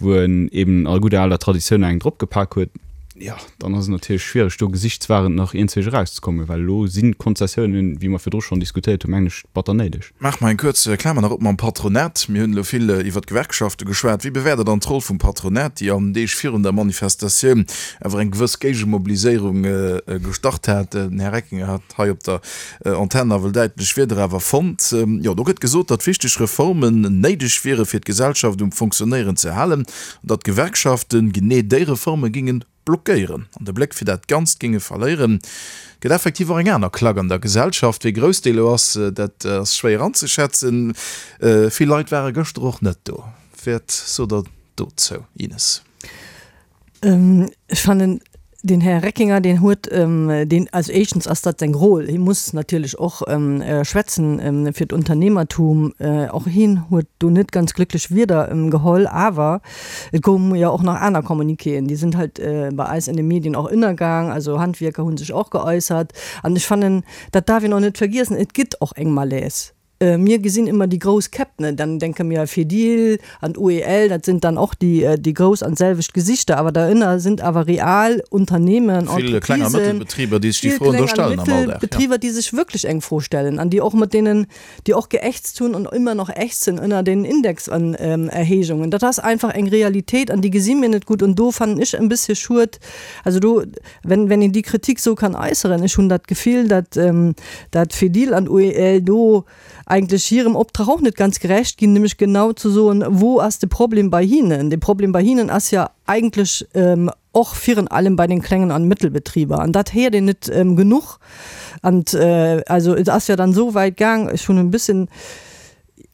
wou en eben a gudder aler Traditioun eng dropgepak huet. Jo, dann ass et natierlech schwiereg, do gesichtswahrend nach iergendwéi erauszekommen, well elo sinn d'Konzessiounen, wéi mer virdru schonn diskutéiert hunn, mengen ech, batter néideg. Maache mer eng kuerz Klamer nach op mam Patronat. Mir hunn elo vill iwwer d'Gewerkschafte geschwat. Wéi bewäert Der dann d'Roll vum Patronat, déi an den Deeg virun der Manifestatioun awer eng gewëss Géigemobiliséierung gestart hat? Den Här Reckinger hat hei op der Antenn nawell däitlech Wierder awer fonnt. Jo, do gëtt gesot, datt wichteg Reformen néideg wiere fir d'Gesellschaft um Fonctionnéieren ze halen an datt d'Gewerkschafte genee déi Reforme géinge blockéieren an de Bléck fir dat Ganzt géinge verléieren. Et gëtt effektiv och eng aner Klack an der Gesellschaft. Wéi grouss déi elo ass, dat ass schwéier anzeschätzen. Vill Leit ware gëschter och net do. Wat sot Der dozou, Ines? Ech fannen, den Här Reckinger, deen huet deen, also éischtens ass dat seng Rôle, hie muss natierlech och schwätzen fir d'Unternehmertum. Och hien huet do net ganz glécklech Wierder geholl. Awer et koume jo och nach aner Communiquéen, déi sinn halt bei eis an de Medien och ënnergaang. Also Handwierker hu sech och geäussert. An ech fannen, dat darf een och net vergiessen, et gëtt och eng Malaise. Mir gesinn ëmmer déi grouss Käpp, ne, dann denke mir Fedil an UEL, dat sind dann och déi, déi grouss an d'selwecht Gesichter, awer derënner sind awer real Unternehmen, Vill Kleng a Entreprisen, Mëttelbetriber, déi sech déi vill Froen do Kleng an stellen am Alldag, ja. Mëttelbetriber, déi sech wierklech eng Fro stellen an déi och mat deenen, déi och geächtzt hunn an ëmmer nach ächzen ënner den Indexerhéijungen. Dat ass einfach eng Realitéit an déi gesi mir net gutt und do fannen ech en bëssche schued, also do, Wenn, wenn een déi Kritik esou kann äusseren, ech hunn dat Gefill, datt, datt Fedil an UEL do eigentlech hirem Optrag och net ganz gerecht ginn, nämlech genau ze soen, wou ass de Problem bei hinnen. De Problem bei hinnen ass jo eigentlech och virun allem bei den klengen an Mëttelbetriber an dat héiert een net genuch. An also et ass jo dann esou wäit gaang, ech hunn e bëssen,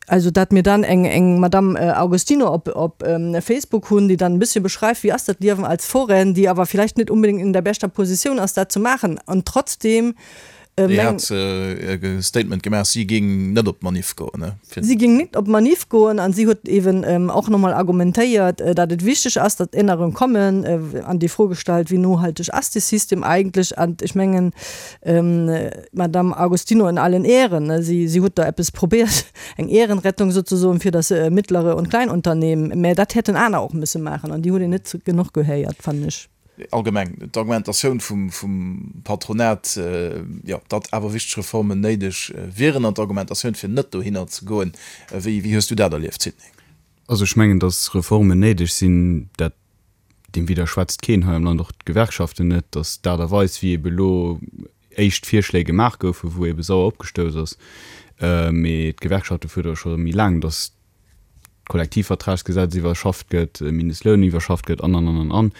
Also dat mir dann eng eng Madame Augustino op op Facebook hunn, déi dann e bëssche beschreift, wéi ass dat Liewen als Foraine, déi awer vielleicht net unbedingt in der beschter Positioun ass, dat ze maachen an trotzdem Déi hat e Statement gemaach, si géing net op d'Manif goen, ne? Si géing net op d'Manif goen an si huet eeben och nochmol argumentéiert, dat et wichteg ass, datt Ännerung kommen an déi Fro gestallt, wéi nohalteg ass dee System eigentlech? An ech mengen, D'Madame Agostino in allen Ehren, si, si huet da eppes probiert, eng Ehrenrettung sozusoen fir das mittlere und Kleinunternehmen, mä dat hätten aner och müsse maachen an déi huet een net genuch gehéiert, fannen ech. Allgemeng d'Argumentatioun vum, vum Patronat, jo, datt awer wichteg Reformen néideg wieren an d'Argumentatioun fir net dohinner ze goen, wéi, wéi hues du dat erlieft, Sidney? Also ech mengen, datt Reformen néideg sinn, dat Deem widderschwätzt keen hei am Land, och d'Gewerkschaften net, datt d'Aart a Weis, wéi ebe elo éischt Virschléi gemaach goufen, wou ebe sauer opgestouss ass, mee d'Gewerkschafte fuerdere scho méi laang, datt d'Kollektivvertragsgesetz iwwerschafft gëtt, de Mindestloun iwwerschafft gëtt an, an, an, an, an.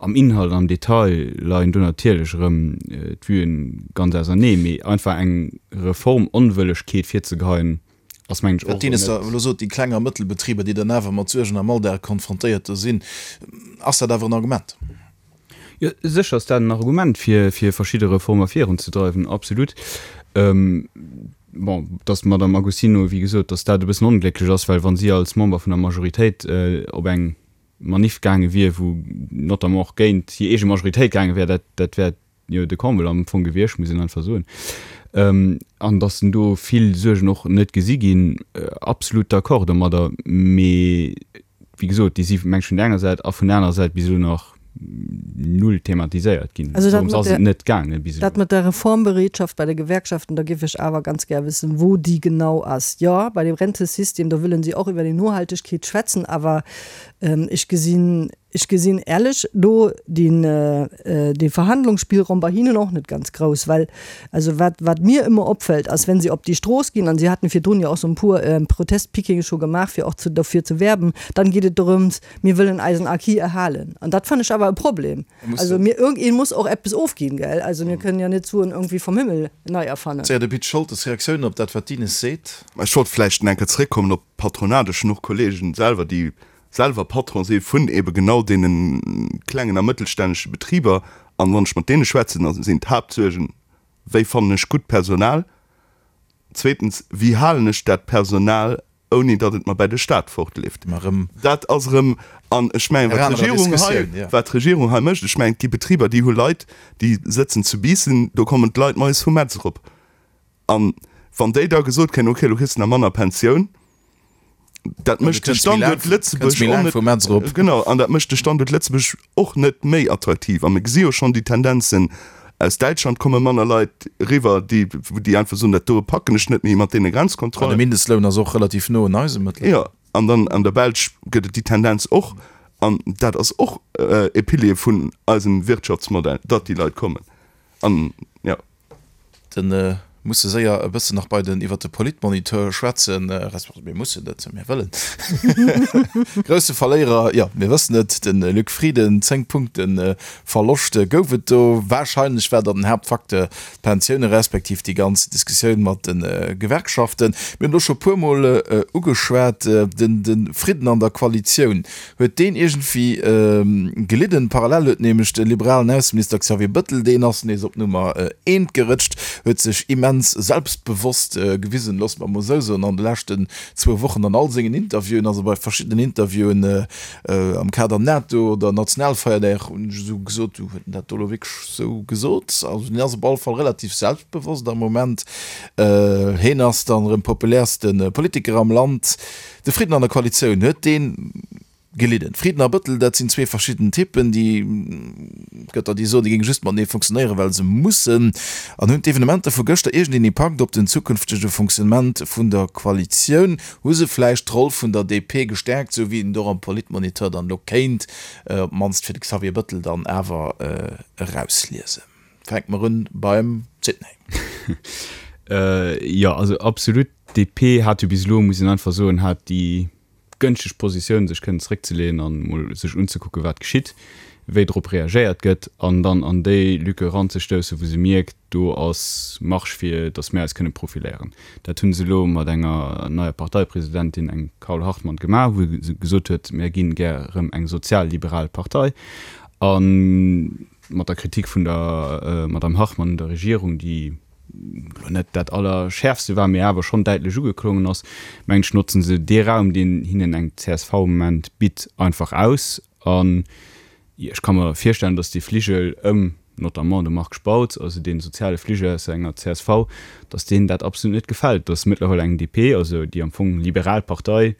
Am Inhalt an am Detail leien do natierlech erëm d'Vuen ganz ausernee, mee einfach eng Reformonwëllegkeet virzegeheien, ass mengen ech och Wat d'Ines da elo sot, déi Kleng a Mëttelbetriber, déi dann awer mat Suergen am Alldag konfrontéiert do sinn, ass dat awer en Argument? Jo, sécher ass dat en Argument, fir fir verschidde Reformer virunzedreiwen, absolut. Bon, datt d'Madame Agostino, wéi gesot, datt dat e bëssen onglécklech ass, well wa si als Member vun der Majoritéit op eng Maniff gaange wier, wou notamment och géint hir eege Majoritéit gaange wär, dat dat wär jo de Comble am Fong gewiescht, muss een einfach soen. An datt en do vill Suergen och net gesi ginn, absolut d'accord domadder. Mee wéi gesot, déi si meng ech vun der enger Säit a vun der anerer Säit bis elo nach. null thematiséiert ginn. Also dat Dorëms mat ass et der, net gaange bis elo. dat mat der Reformbereetschaft bei de Gewerkschaften, da géif ech awer ganz gär wëssen, wou déi genau ass. Jo, bei dem Rentesystem, do wëllen si och iwwer déi Nohaltegkeet schwätzen, awer ech gesinn, Ech gesinn ärlech do deen, dee Verhandlungsspielraum bei hinnen och net ganz grouss, well also wat, wat mir ëmmer opfällt, ass, wenn se op déi Strooss ginn, an si haten virdrun jo och sou en puer Protestpickinge scho gemaach, fir och zu, derfir ze werben, dann geet et dorëms, mir wëllen eisen Acquis erhalen. An dat fannen ech awer e Problem. Also mir, irgendeen muss och eppes ofginn, gell? Also mir kënnen jo net d'Suen irgendwie vum Himmel nei erfannen. Séier de Pit Scholtes, Reaktiounen op dat, wat d'Ines seet? Ech wollt vläicht nach eng Kéier zeréckkommen op d'Patronat. Ech hunn och Kollegen selwer, déi selwer Patron si vun ebe genau deene klengen a mëttelstännege Betriber, an wann ech mat deene schwätzen, da sinn d'Haaptsuergen, Wéi fannen ech gutt Personal? Zweetens, Wéi halen ech dat Personal, ouni datt et mer bäi de Staat fortleeft? Dat ass erëm, an ech mengen, wat d'Regierung hei, wat d'Regierung hei mécht, ech mengen, et gi Betriber, déi hu Leit, déi sëtzen zu Biissen, do kommen d'Leit moies vu Metz erop. An wann déi da gesot kréien, okay, elo kriss de nach manner Pensioun, dat mécht de Standuert Lëtzebuerg och net, genau, an dat mécht de Standuert Lëtzebuerg och net méi attraktiv. A mir gesi jo schonn déi Tendenzen, aus Däitschland komme manner Leit eriwwer, déi, déi einfach soen, dat doe packen ech net méi mat deene Grenzkontrollen. An de Mindestloun ass och relativ no un eisem mëttlerweil. Jo, an dann an der Belsch gëtt et déi Tendenz och. An dat ass och e Pilier vun eisem Wirtschaftsmodell, datt déi Leit kommen. An, jo. Den musse séier e bëssen nach bei den iwwert de Politmoniteur schwätzen, resp. Mir mussen net, mir wëllen. Grousse Verléierer, jo, mir wëssen et, de Luc Frieden, 10 Punkte Verloscht gouf et do. Warscheinlech war dann den Haaptfacteur d'Pensioune respektiv déi ganz Diskussioun mat de Gewerkschaften. Mir hunn elo scho puermol ugeschwat, den de Fridden an der Koalitioun. Huet deen iergendwéi gelidden? Parallel huet nämlech de liberalen Ausseminister Xavier Bëttel, deen ass nees op Nummer eent gerëtscht, huet sech immens selbstbewosst gewisen, loosse mer emol esou soen, an de leschten zwou Wochen an all sengen Interviewen, also bei verschiddenen Interviewen am Kader NATO oder Nationalfeierdag, hunn ech esou gesot, du huet en dat do elo wierklech esou gesot? Also deen ass op alle Fall relativ selbstbewosst am Moment. Heen ass dann erëm populärste Politiker am Land. De Fridden an der Koalitioun, huet dee gelidden? Frieden a Bëttel, dat sinn zwee verschidden Typen, déi, et gëtt der, déi soen, déi géinge just matenee funktionéieren, well se mussen. An hunn d'Evenementer vu gëschter iergendeen Impakt op den zukünftege Fonctionnement vun der Koalitioun? Hu se vläicht d'Roll vun der DP gestäerkt, esou wéi een et och am Politmoniteur dann elo kéint, op d'mannst fir de Xavier Bëttel dann awer erausliesen? Fänke mer un beim Sidney. Jo, also absolut. D'DP hat jo bis elo, muss een einfach soen, hat déi gënschteg Positioun, sech kënnen zeréckzeleeën an emol sech unzekucken, wat geschitt, wéi drop reagéiert gëtt, an dann an déi Lücke eranzestoussen, wou se mierkt, do ass Marge fir datt mir eis kënne profiléieren. Dat hu se elo mat enger neier Parteipresidentin, engem Carole Hartmann, gemaach, wou se gesot huet, mir ginn gär erëm eng sozialliberal Partei. A mat der Kritik vun der Madame Hartmann un der Regierung, déi elo net dat Allerschäerfste war, mee awer schonn däitlech ugeklongen ass, mengen ech, notzen se dee Raum, deen hinnen eng csv am Moment bitt, einfach aus. An ech ka mer virstellen, datt dee Fligel ëm notamment de Marc Spautz, also dee soziale Fligel aus enger csv, datt deenen dat absolut net gefält, datt mëttlerweil eng DP, also déi am Fong liberal Partei,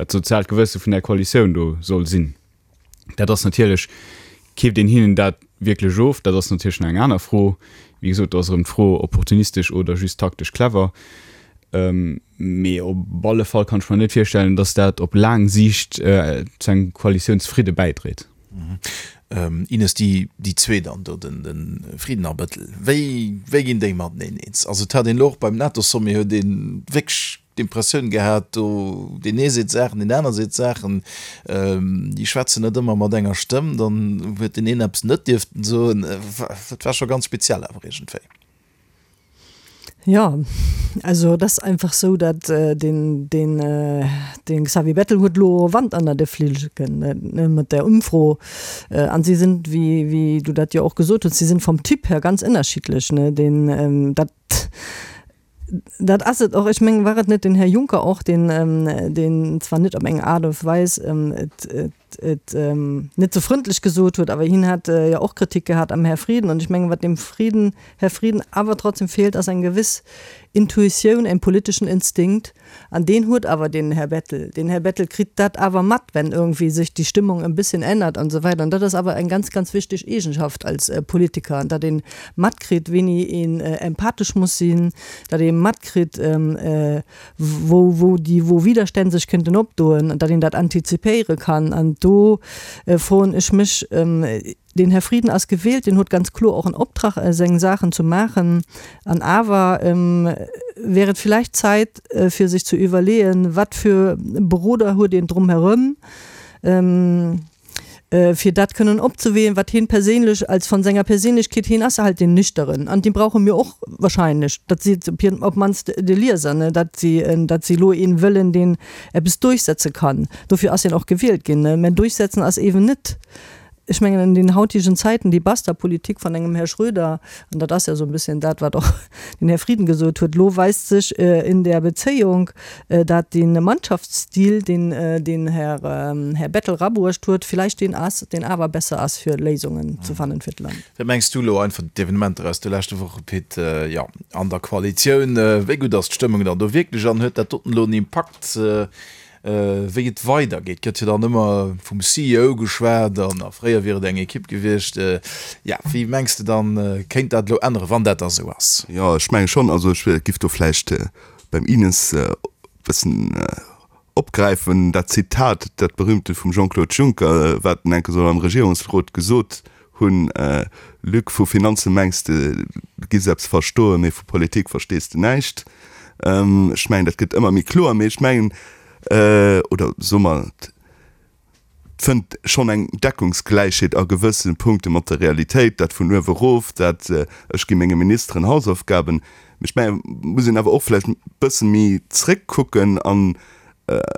dat soziaalt Gewësse vun där Koalitioun do soll sinn. Dat ass natierlech, keeft een hinnen dat wierklech of? Dat ass natierlech nach eng aner Fro. Wéi gesot, do ass erëm d'Fro, opportunistesch oder just taktesch clever. Mee op alle Fall kann ech mer net virstellen, datt dat op laang Siicht zu engem Koalitiounsfridde bäidréit. Ines, déi déi zwee dann do, de Frieden a Bëttel, wéi wéi ginn déi mateneen eens? Also et hat een elo och beim NATO-Sommet huet ee wierklech d'Impressioun gehat, do deen ee seet Saachen, deen aner seet Saachen, déi schwätzen net ëmmer mat enger Stëmm, dann huet deen een eppes net dierften soen. Dat war scho ganz speziell awer iergendwéi. Jo, also et ass einfach sou, datt deen, deen, dee Xavier Bettel huet elo Wand ënner de Flilleken, ne, mat där Ëmfro. An si sinn, wéi, wéi du dat jo och gesot hues, si sinn vom Typ her ganz ënnerschiddlech, ne. Deen, dat. Dat ass et och. Ech mengen, war et net den Här Juncker och, deen, deen zwar net op eng Aart a Weis et. et net sou frëndlech gesot huet, awer hien hat jo och Kritik gehat am Här Frieden. An ech mengen, wat dem Frieden, Här Frieden awer trotzdem feelt, ass eng gewiss Intuitioun, en politeschen Instinkt. An deen huet awer den Här Bettel. Den Här Bettel kritt dat awer mat, wenn irgendwie sech déi Stimmung en bisschen ännert an esou weider. An dat ass awer eng ganz, ganz wichteg Eegenschaft als Politiker, datt ee matkritt, wéini een empathesch muss sinn, datt ee matkritt, wou, wou déi, wou Widerstänn sech kënnten opdoen, datt een dat antizipéiere kann. An do froen ech mech, Den Här Frieden ass gewielt, deen huet ganz kloer och en Optrag, seng Saachen zu maachen. An awer wär et villäicht Zäit, fir sech zu iwwerleeën, wat fir Beroder huet een drumherëm, fir dat kënnen opzeween, wat hien perséinlech als von senger Perséinlechkeet, hien ass halt deen Nüchteren, an dee brauche mir och wahrscheinlech, dat seet op hien op d'mannst de Lieser, ne, datt si, datt si elo een wëllen, deen eppes durchsetze kann. Dofir ass hien och gewielt ginn, ne. Mä durchsetzen ass eeben net Ech mengen, an den hautigen Zäiten, déi Basta-Politik van engem Här Schröder, an dat ass ja esou e bësschen dat, wat och den Här Frieden gesot huet, elo weist sech in der Bezéiung, dat dee Mannschaftsstil, deen den Här Här Bettel rabruecht huet, villäicht deen ass, deen awer besser ass, fir Léisungen ze fannen fir d'Land. Wat mengs du elo einfach d'Evenementer aus de leschte Woche, Pit? Jo, an der Koalitioun, wéi gutt ass d'Stëmmung dann do wierklech an huet dat doten elo en Impakt Wéi et weidergeet, gëtt jo dann ëmmer vum CEO geschwat an a fréier wier et eng Ekipp gewiescht. Jo, wéi mengs de dann, kéint dat elo änneren, wann dat da sou ass? Jo, ech menge schonn. Also ech giff do vläicht beim Ines e bëssen opgräifen, dat Zitat, dat berühmte vum Jean-Claude Juncker, wat en enke soll am Regierungsrot gesot hunn, Luc, vu Finanze mengs de, du giffs eppes verstoen, mee vu Politik verstees de näischt. Ech mengen, dat gëtt ëmmer méi kloer, mee ech mengen, oder soe mer, et fënnt schonn eng Deckungsgläichheet a gewësse Punkte mat der Realitéit, dat vun uewe erof, dat ech gi menge Ministeren Hausaufgaben. Mee ech mengen, et muss een awer och vläicht e bësse méi zréckkucken an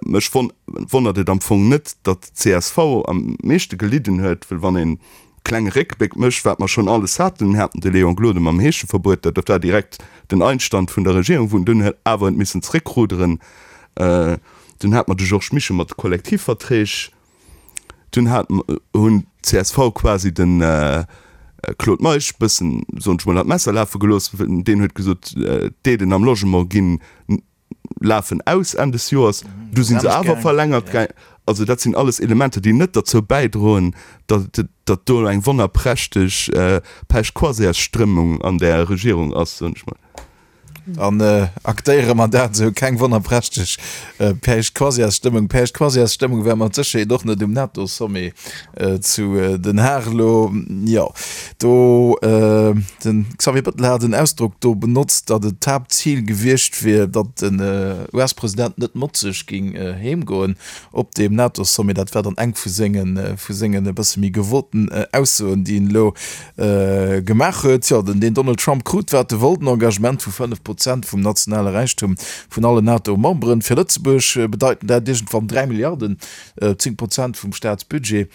mech wonnert et am Fong net, datt d'CSV am meeschte gelidden huet, well wann een klenge Réckbléck mécht, wat mer schonn alles haten, mir haten de Léon Gloden mam Heescheverbuet, dat war direkt den Einstand vun der Regierung, wou en dunn huet awer huet missen zréckruderen. Dunn hate mer de Georges Mischo mat de Kollektivverträg. Dunn hat hunn d'CSV quasi de Claude Meisch bëssen, soen ech mol, an d'Messer lafe gelooss. Deen huet gesot, d'Aiden am Logement ginn lafen aus Enn des Joers, du sinn se awer verlängert gaang. Also dat sinn alles Elementer, déi net derzou bäidroen, datt datt do eng wonnerprächteg Pech-Croisières-Strëmmung an där Regierung ass, soen ech mol. An aktéiere mer dat esou, keng wonnerprächteg Pech-Croisières-Stëmmung. Pech-Croisières-Stëmmung war mat Sécherheet och net um NATO-Sommet zu Den Haag elo. Jo, do, de Xavier Bettel hat en Ausdrock do benotzt, datt et d'Haaptzil gewiescht wier, datt den US-President net motzeg géing heem goen op deem NATO-Sommet. Dat war dann eng vu sengen, vu sengen e bësse méi gewoten Aussoen, déi en elo gemaach huet. Jo, den Donald Trump krut, wat e wollt, en Engagement vu 5 Prozent vum nationale Räichtum vun allen NATO-Memberen. Fir Lëtzebuerg bedeiten dat iergendwann 3 Milliarden, 10 Prozent vum Staatsbudget.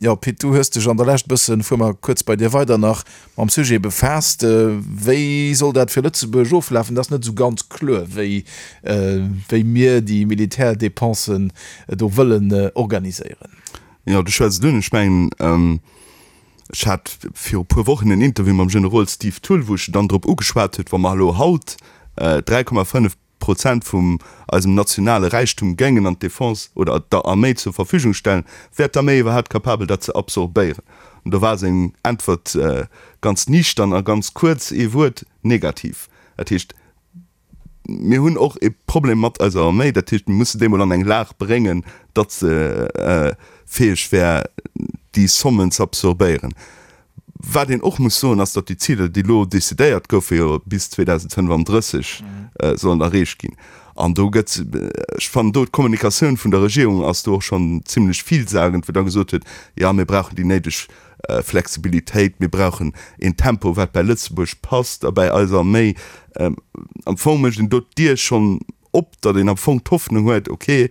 Jo, Pit, du hues dech an der Lescht e bëssen, fuer mer kuerz bei dir weider, nach mam Sujet befaasst. Wéi soll dat fir Lëtzebuerg oflafen? Dat ass net esou ganz kloer, wéi, wéi mir déi Militärdépensen do wëllen organiséieren. Jo, du schwätz et un. Ech mengen, ech hat viru puer Wochen en Interview mam Generol Steve Thull, wou ech en dann drop ugeschwat huet, wa mer elo haut 3,5 Prozent vum eisem nationale Räichtum géingen an d'Defense oder der Arméi zur Verfügung stellen, wär d'Arméi iwwerhaapt capabel dat ze absorbéieren? An do war seng Äntwert ganz niichtern a ganz kuerz, ee Wuert, negativ. Dat heescht, mir hunn och e Problem mat eiser Arméi. Dat heescht, mir musse déi mol an eng Lag bréngen, datt se fäeg wär, déi Sommen ze absorbéieren. Wat een och muss soen, ass, datt déi Ziler, déi elo decidéiert goufen, jo bis 2035 sollen erreecht ginn. An do gëtt, ech fannen do d'Kommunikatioun vun der Regierung ass do och schonn zimlech villsagend, wou da gesot huet, jo mir brauchen déi néideg Flexibilitéit, mir brauchen een Tempo, wat bäi Lëtzebuerg passt a bäi eiser Arméi. Am Fong mécht een do d'Dier schonn op, datt een am Fong d'Hoffnung huet, ok,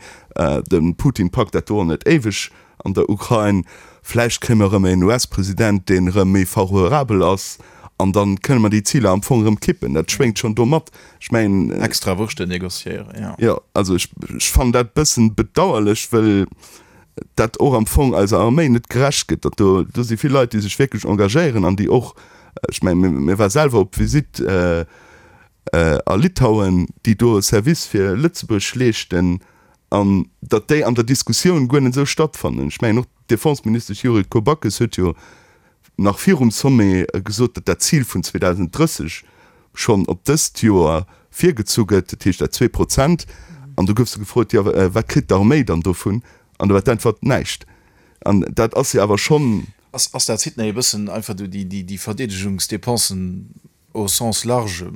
de Putin packt dat do och net éiweg an der Ukrain, vläicht kréie mer erëm en US-President, deen erëm méi favorabel ass, an da kënne mer déi Ziler am Fong erëm kippen. Dat schwéngt schonn do mat. Ech mengen. Extra Wurschten négociéieren, jo. Jo, also ech fannen dat e bëssen bedauerlech, wëll. dat och am Fong eiser Arméi net gerecht gëtt, datt do, do si vill Leit, déi sech wierklech engagéieren an déi och, ech mengen, mir war selwer op Visitt a Litauen, déi do e Service fir Lëtzebuerg leeschten an datt déi an der Diskussioun guer net esou stattfannen. Ech mengen och d'Defenseministesch Yuriko Backes huet jo nach virum Sommet gesot, datt dat Zil vun 2030 schonn op dëst Joer virgezu gëtt, dat heescht dat 2%. An du gouf se gefrot, jo wat kritt d'Arméi dann dovun? An do war d'Äntwert, näischt. An dat ass jo awer schonn. Ass dat Sidney e bëssen einfach do déi Verdeedegungsdepensen Au sens large,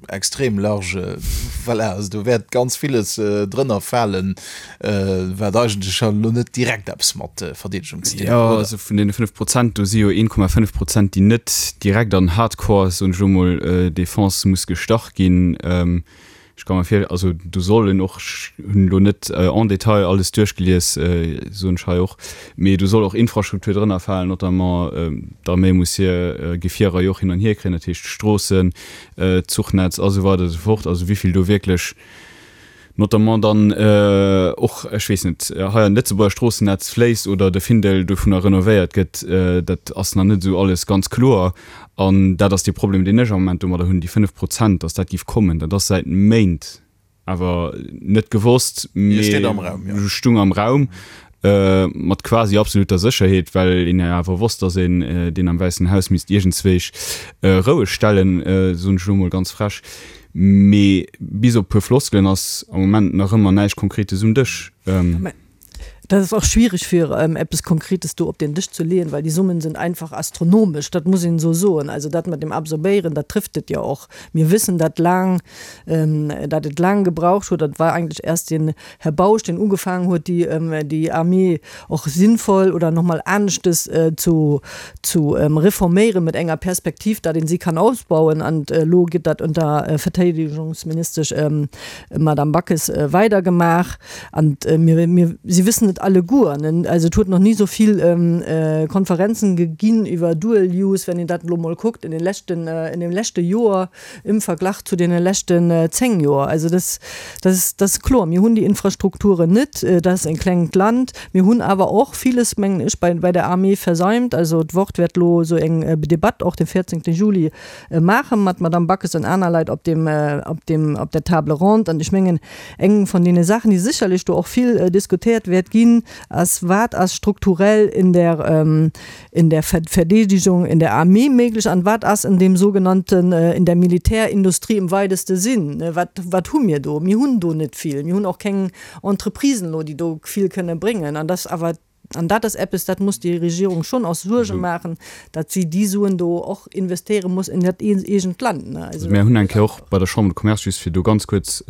extrem large, voilà, also do wäert ganz villes drënner falen, wat eigentlech elo net direkt eppes mat Verdeedegung ze dinn huet, oder? Jo, also vun deene 5 Prozent, do si jo 1,5 Prozent, déi net direkt an Hardcore, soen ech elo mol, Defense muss gestach ginn. Ech ka mer vir, also do sollen och, ech hunn elo net en détail alles duerchgelies, soen ech hei och, mee do soll och Infrastruktur drënner falen, notamment d'Arméi muss hir Gefierer jo och hin an hier kréien, dat heescht d'Stroossen, d'Zuchnetz a sou weider a sou fort. Also wéi vill do wierklech notamment dann och, ech weess net, hei an d'Lëtzebuerger Stroossennetz fléisst oder de Findel dovunner renovéiert gëtt, dat ass nach net esou alles ganz kloer. An dat ass dee Problem, deen ech am Moment domadder hunn, déi 5 Prozent, datt dat géif kommen, dat ass säit Méint awer net gewosst, mee stung am Raum mat quasi absoluter Sécherheet, well een jo awer wosst, datt een deen am Wäissen Haus misst iergendzwéich roueg stellen, soen ech elo emol ganz frech. Mee bis op e puer Floskelen ass am Moment nach ëmmer näischt Konkretes um Dësch. Dat ass och schwierig fir eppes Konkretes do op den Dësch ze leeën, well déi Summen sind einfach astronomesch, dat muss een esou soen. Also dat mat dem Absorbéieren, dat trifft et jo och. Mir wëssen, dat laang, dat et laang gebraucht huet, dat war eigentlech erst den Här Bausch, deen ugefaangen huet, déi, déi Armée och sinnvoll oder nach mol aneschtes zu, zu reforméieren mit enger Perspektiv, dat een si kann ausbauen. An elo gëtt dat unter Verteidigungsministesch Madame Backes weidergemaach. An mir, mir, si wëssen et alleguer, ne, also et huet nach ni esou vill Konferenzen geginn iwwer Dual Use, wenn een dat elo mol kuckt in den leschten, in dem leschte Joer im Verglach zu deene leschten 10 Joer. Also das, das, das ass kloer, mir hunn déi Infrastrukturen net, dat ass e klengt Land. Mir hunn awer och villes, mengen ech, bei, bei der Armée versäumt. Also d'Wort wäert elo esou eng Debatt och de 14. Juli maache mat Madame Backes an aner Leit op deem, op deem, op der Table ronde. An ech mengen, Eng vun deene Saachen, déi sécherlech do och vill diskutéiert wäert ginn, ass, Wat ass strukturell in der, in der Verdeedigung, in der Armee méiglech an wat ass in dem sogenannten, in der Militärindustrie im weiteste Sinn? Wat, wat hu mir do? Mir hunn do net vill. Mir hunn och keng Entreprisen elo, déi do vill kënne bréngen. An dass awer An dat ass eppes, dat muss déi Regierung schonn och Suerge maachen, datt si déi Suen do och investéiere muss in dat eegent Land. Also mir hunn eng Kéier och bei der Chambre de Commerce, just fir do ganz kuerz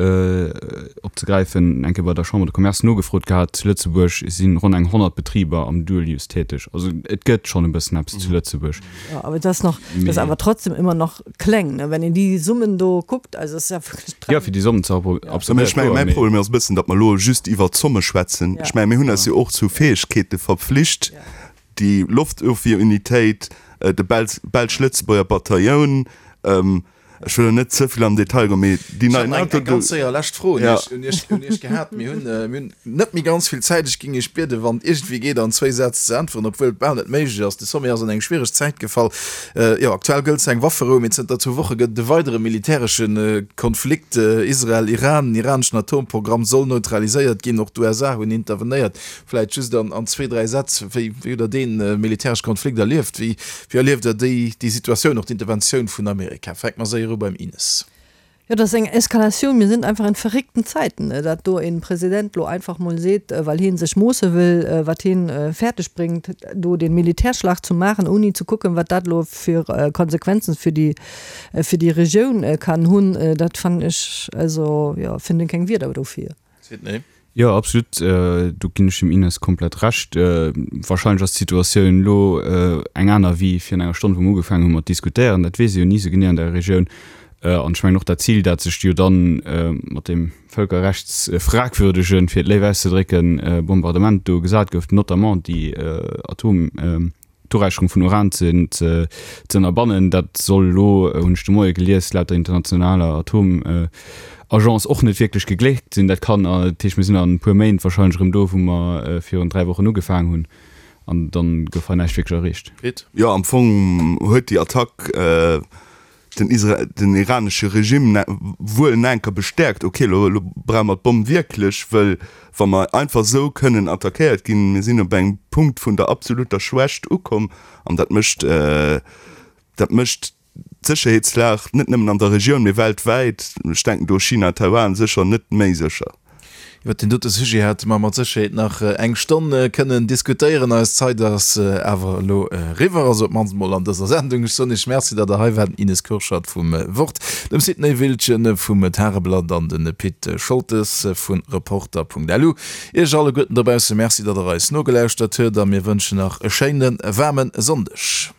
opzegräifen, eng Kéier bei der Chambre de Commerce nogefrot gehat, zu Lëtzebuerg si ronn eng 100 Betriber am Dual Use täteg. Also et gëtt schonn e bëssen eppes zu Lëtzebuerg. Jo, awer et ass nach, et ass awer trotzdem ëmmer nach kleng, ne, wenn een déi Summen do kuckt. Also et ass ja wierklech Jo, fir déi Sommen ze absorbéieren, Ech mengen, mäi Problem ass e bëssen, datt mer elo just iwwert d'Zomme schwätzen. Ech mengen, mir hunn eis jo och zu Fäegkeete verpflicht, déi Loftofwierunitéit, de belsch-lëtzebuerger Batailloun. Ech wëll elo net ze vill am Detail goen, mee déi nei NATO. Eng ganz séier lescht Fro un Iech, un Iech, un Iech gehat. Mir hunn, mir hunn net méi ganz vill Zäit. Ech géing Iech bieden, wann et iergendwéi geet, an zwéi Sätz ze äntweren, obwuel et bal net méiglech ass. De Sommet ass an eng schwiereg Zäit gefall. Jo, aktuell gëllt zwar eng Wafferou, mee zënter zwou Woche gëtt et e weidere militäresche Konflikt, Israel, Iran. Den iraneschen Atomprogramm soll neutraliséiert ginn. Och d'USA hunn intervenéiert. Vläit just an zwéi, dräi Sätz, wéi hutt Der dee militäresche Konflikt erlieft? Wéi erlieft Der déi Situatioun, och d'Interventioun vun Amerika? Fänke mer séier u beim Ines. Jo, dat ass eng Eskalatioun. Mir sinn einfach in verréckten Zäiten, dat do e President lo einfach mol seet, well hee sech moosse wëll, wat heen fäerdeg bréngt, do dee Militärschlag ze maachen, ouni ze kucken, wat dat elo fir Konsequenzen fir déi, fir déi Regioun kann hunn. Dat fannen ech, also jo, finden keng Wierder dofir. Sidney. Jo, absolut, do ginn ech dem Ines komplett Recht. Wahrscheinlech ass d'Situatioun elo eng aner wéi virun enger Stonn, wou mer ugefaangen hu mat diskutéieren. Dat weess ee jo ni esou genee an der Regioun. An ech mengen och dat Zil, dat sech jo dann mat deem völkerrechtsfragwürdegen, fir et léif auszedrécken, Bombardement do gesat gouf, notamment déi Atom, d'Uräicherung vun Uran ze ënnerbannen. Dat soll elo, hunn ech de Moie gelies, laut der internationaler Atomagentur. Agence och net wierklech gegléckt sinn. Dat kann, dat heescht, mir sinn an e puer Méint wahrscheinlech erëm do, wou mer virun 3 Wochen ugefaangen hunn, an dann gouf hei näischt wierklech erreecht. Pit? Jo, am Fong huet déi Attack den Isra den iranesche Regime wuel en enker bestäerkt, ok, elo elo brauche mer d'Bomm wierklech, wëll wa mer einfach esou kënnen attackéiert ginn, mir sinn op engem Punkt vun der absoluter Schwächt ukomm an dat mécht dat mécht d'Sécherheetslag net nëmmen an der Regioun, mee weltwäit, ech denken do China, Taiwan, sécher net méi sécher. Iwwer deen dote Sujet hätte mer mat Sécherheet nach eng Stonn kënnen diskutéieren. Eis Zait ass awer elo eriwwer, also op d'mannst emol an dëser Sendung. Ech soen Iech Merci, datt Der hei waart, den Ines Kurschat vum Wort, dem Sidney Wiltgen vum Tageblatt an de Pit Scholtes vu Reporter.lu. Iech alleguerten dobausse Merci, datt Der eis nogelauschtert huet a mir wënschen nach e schéine waarme Sonndeg.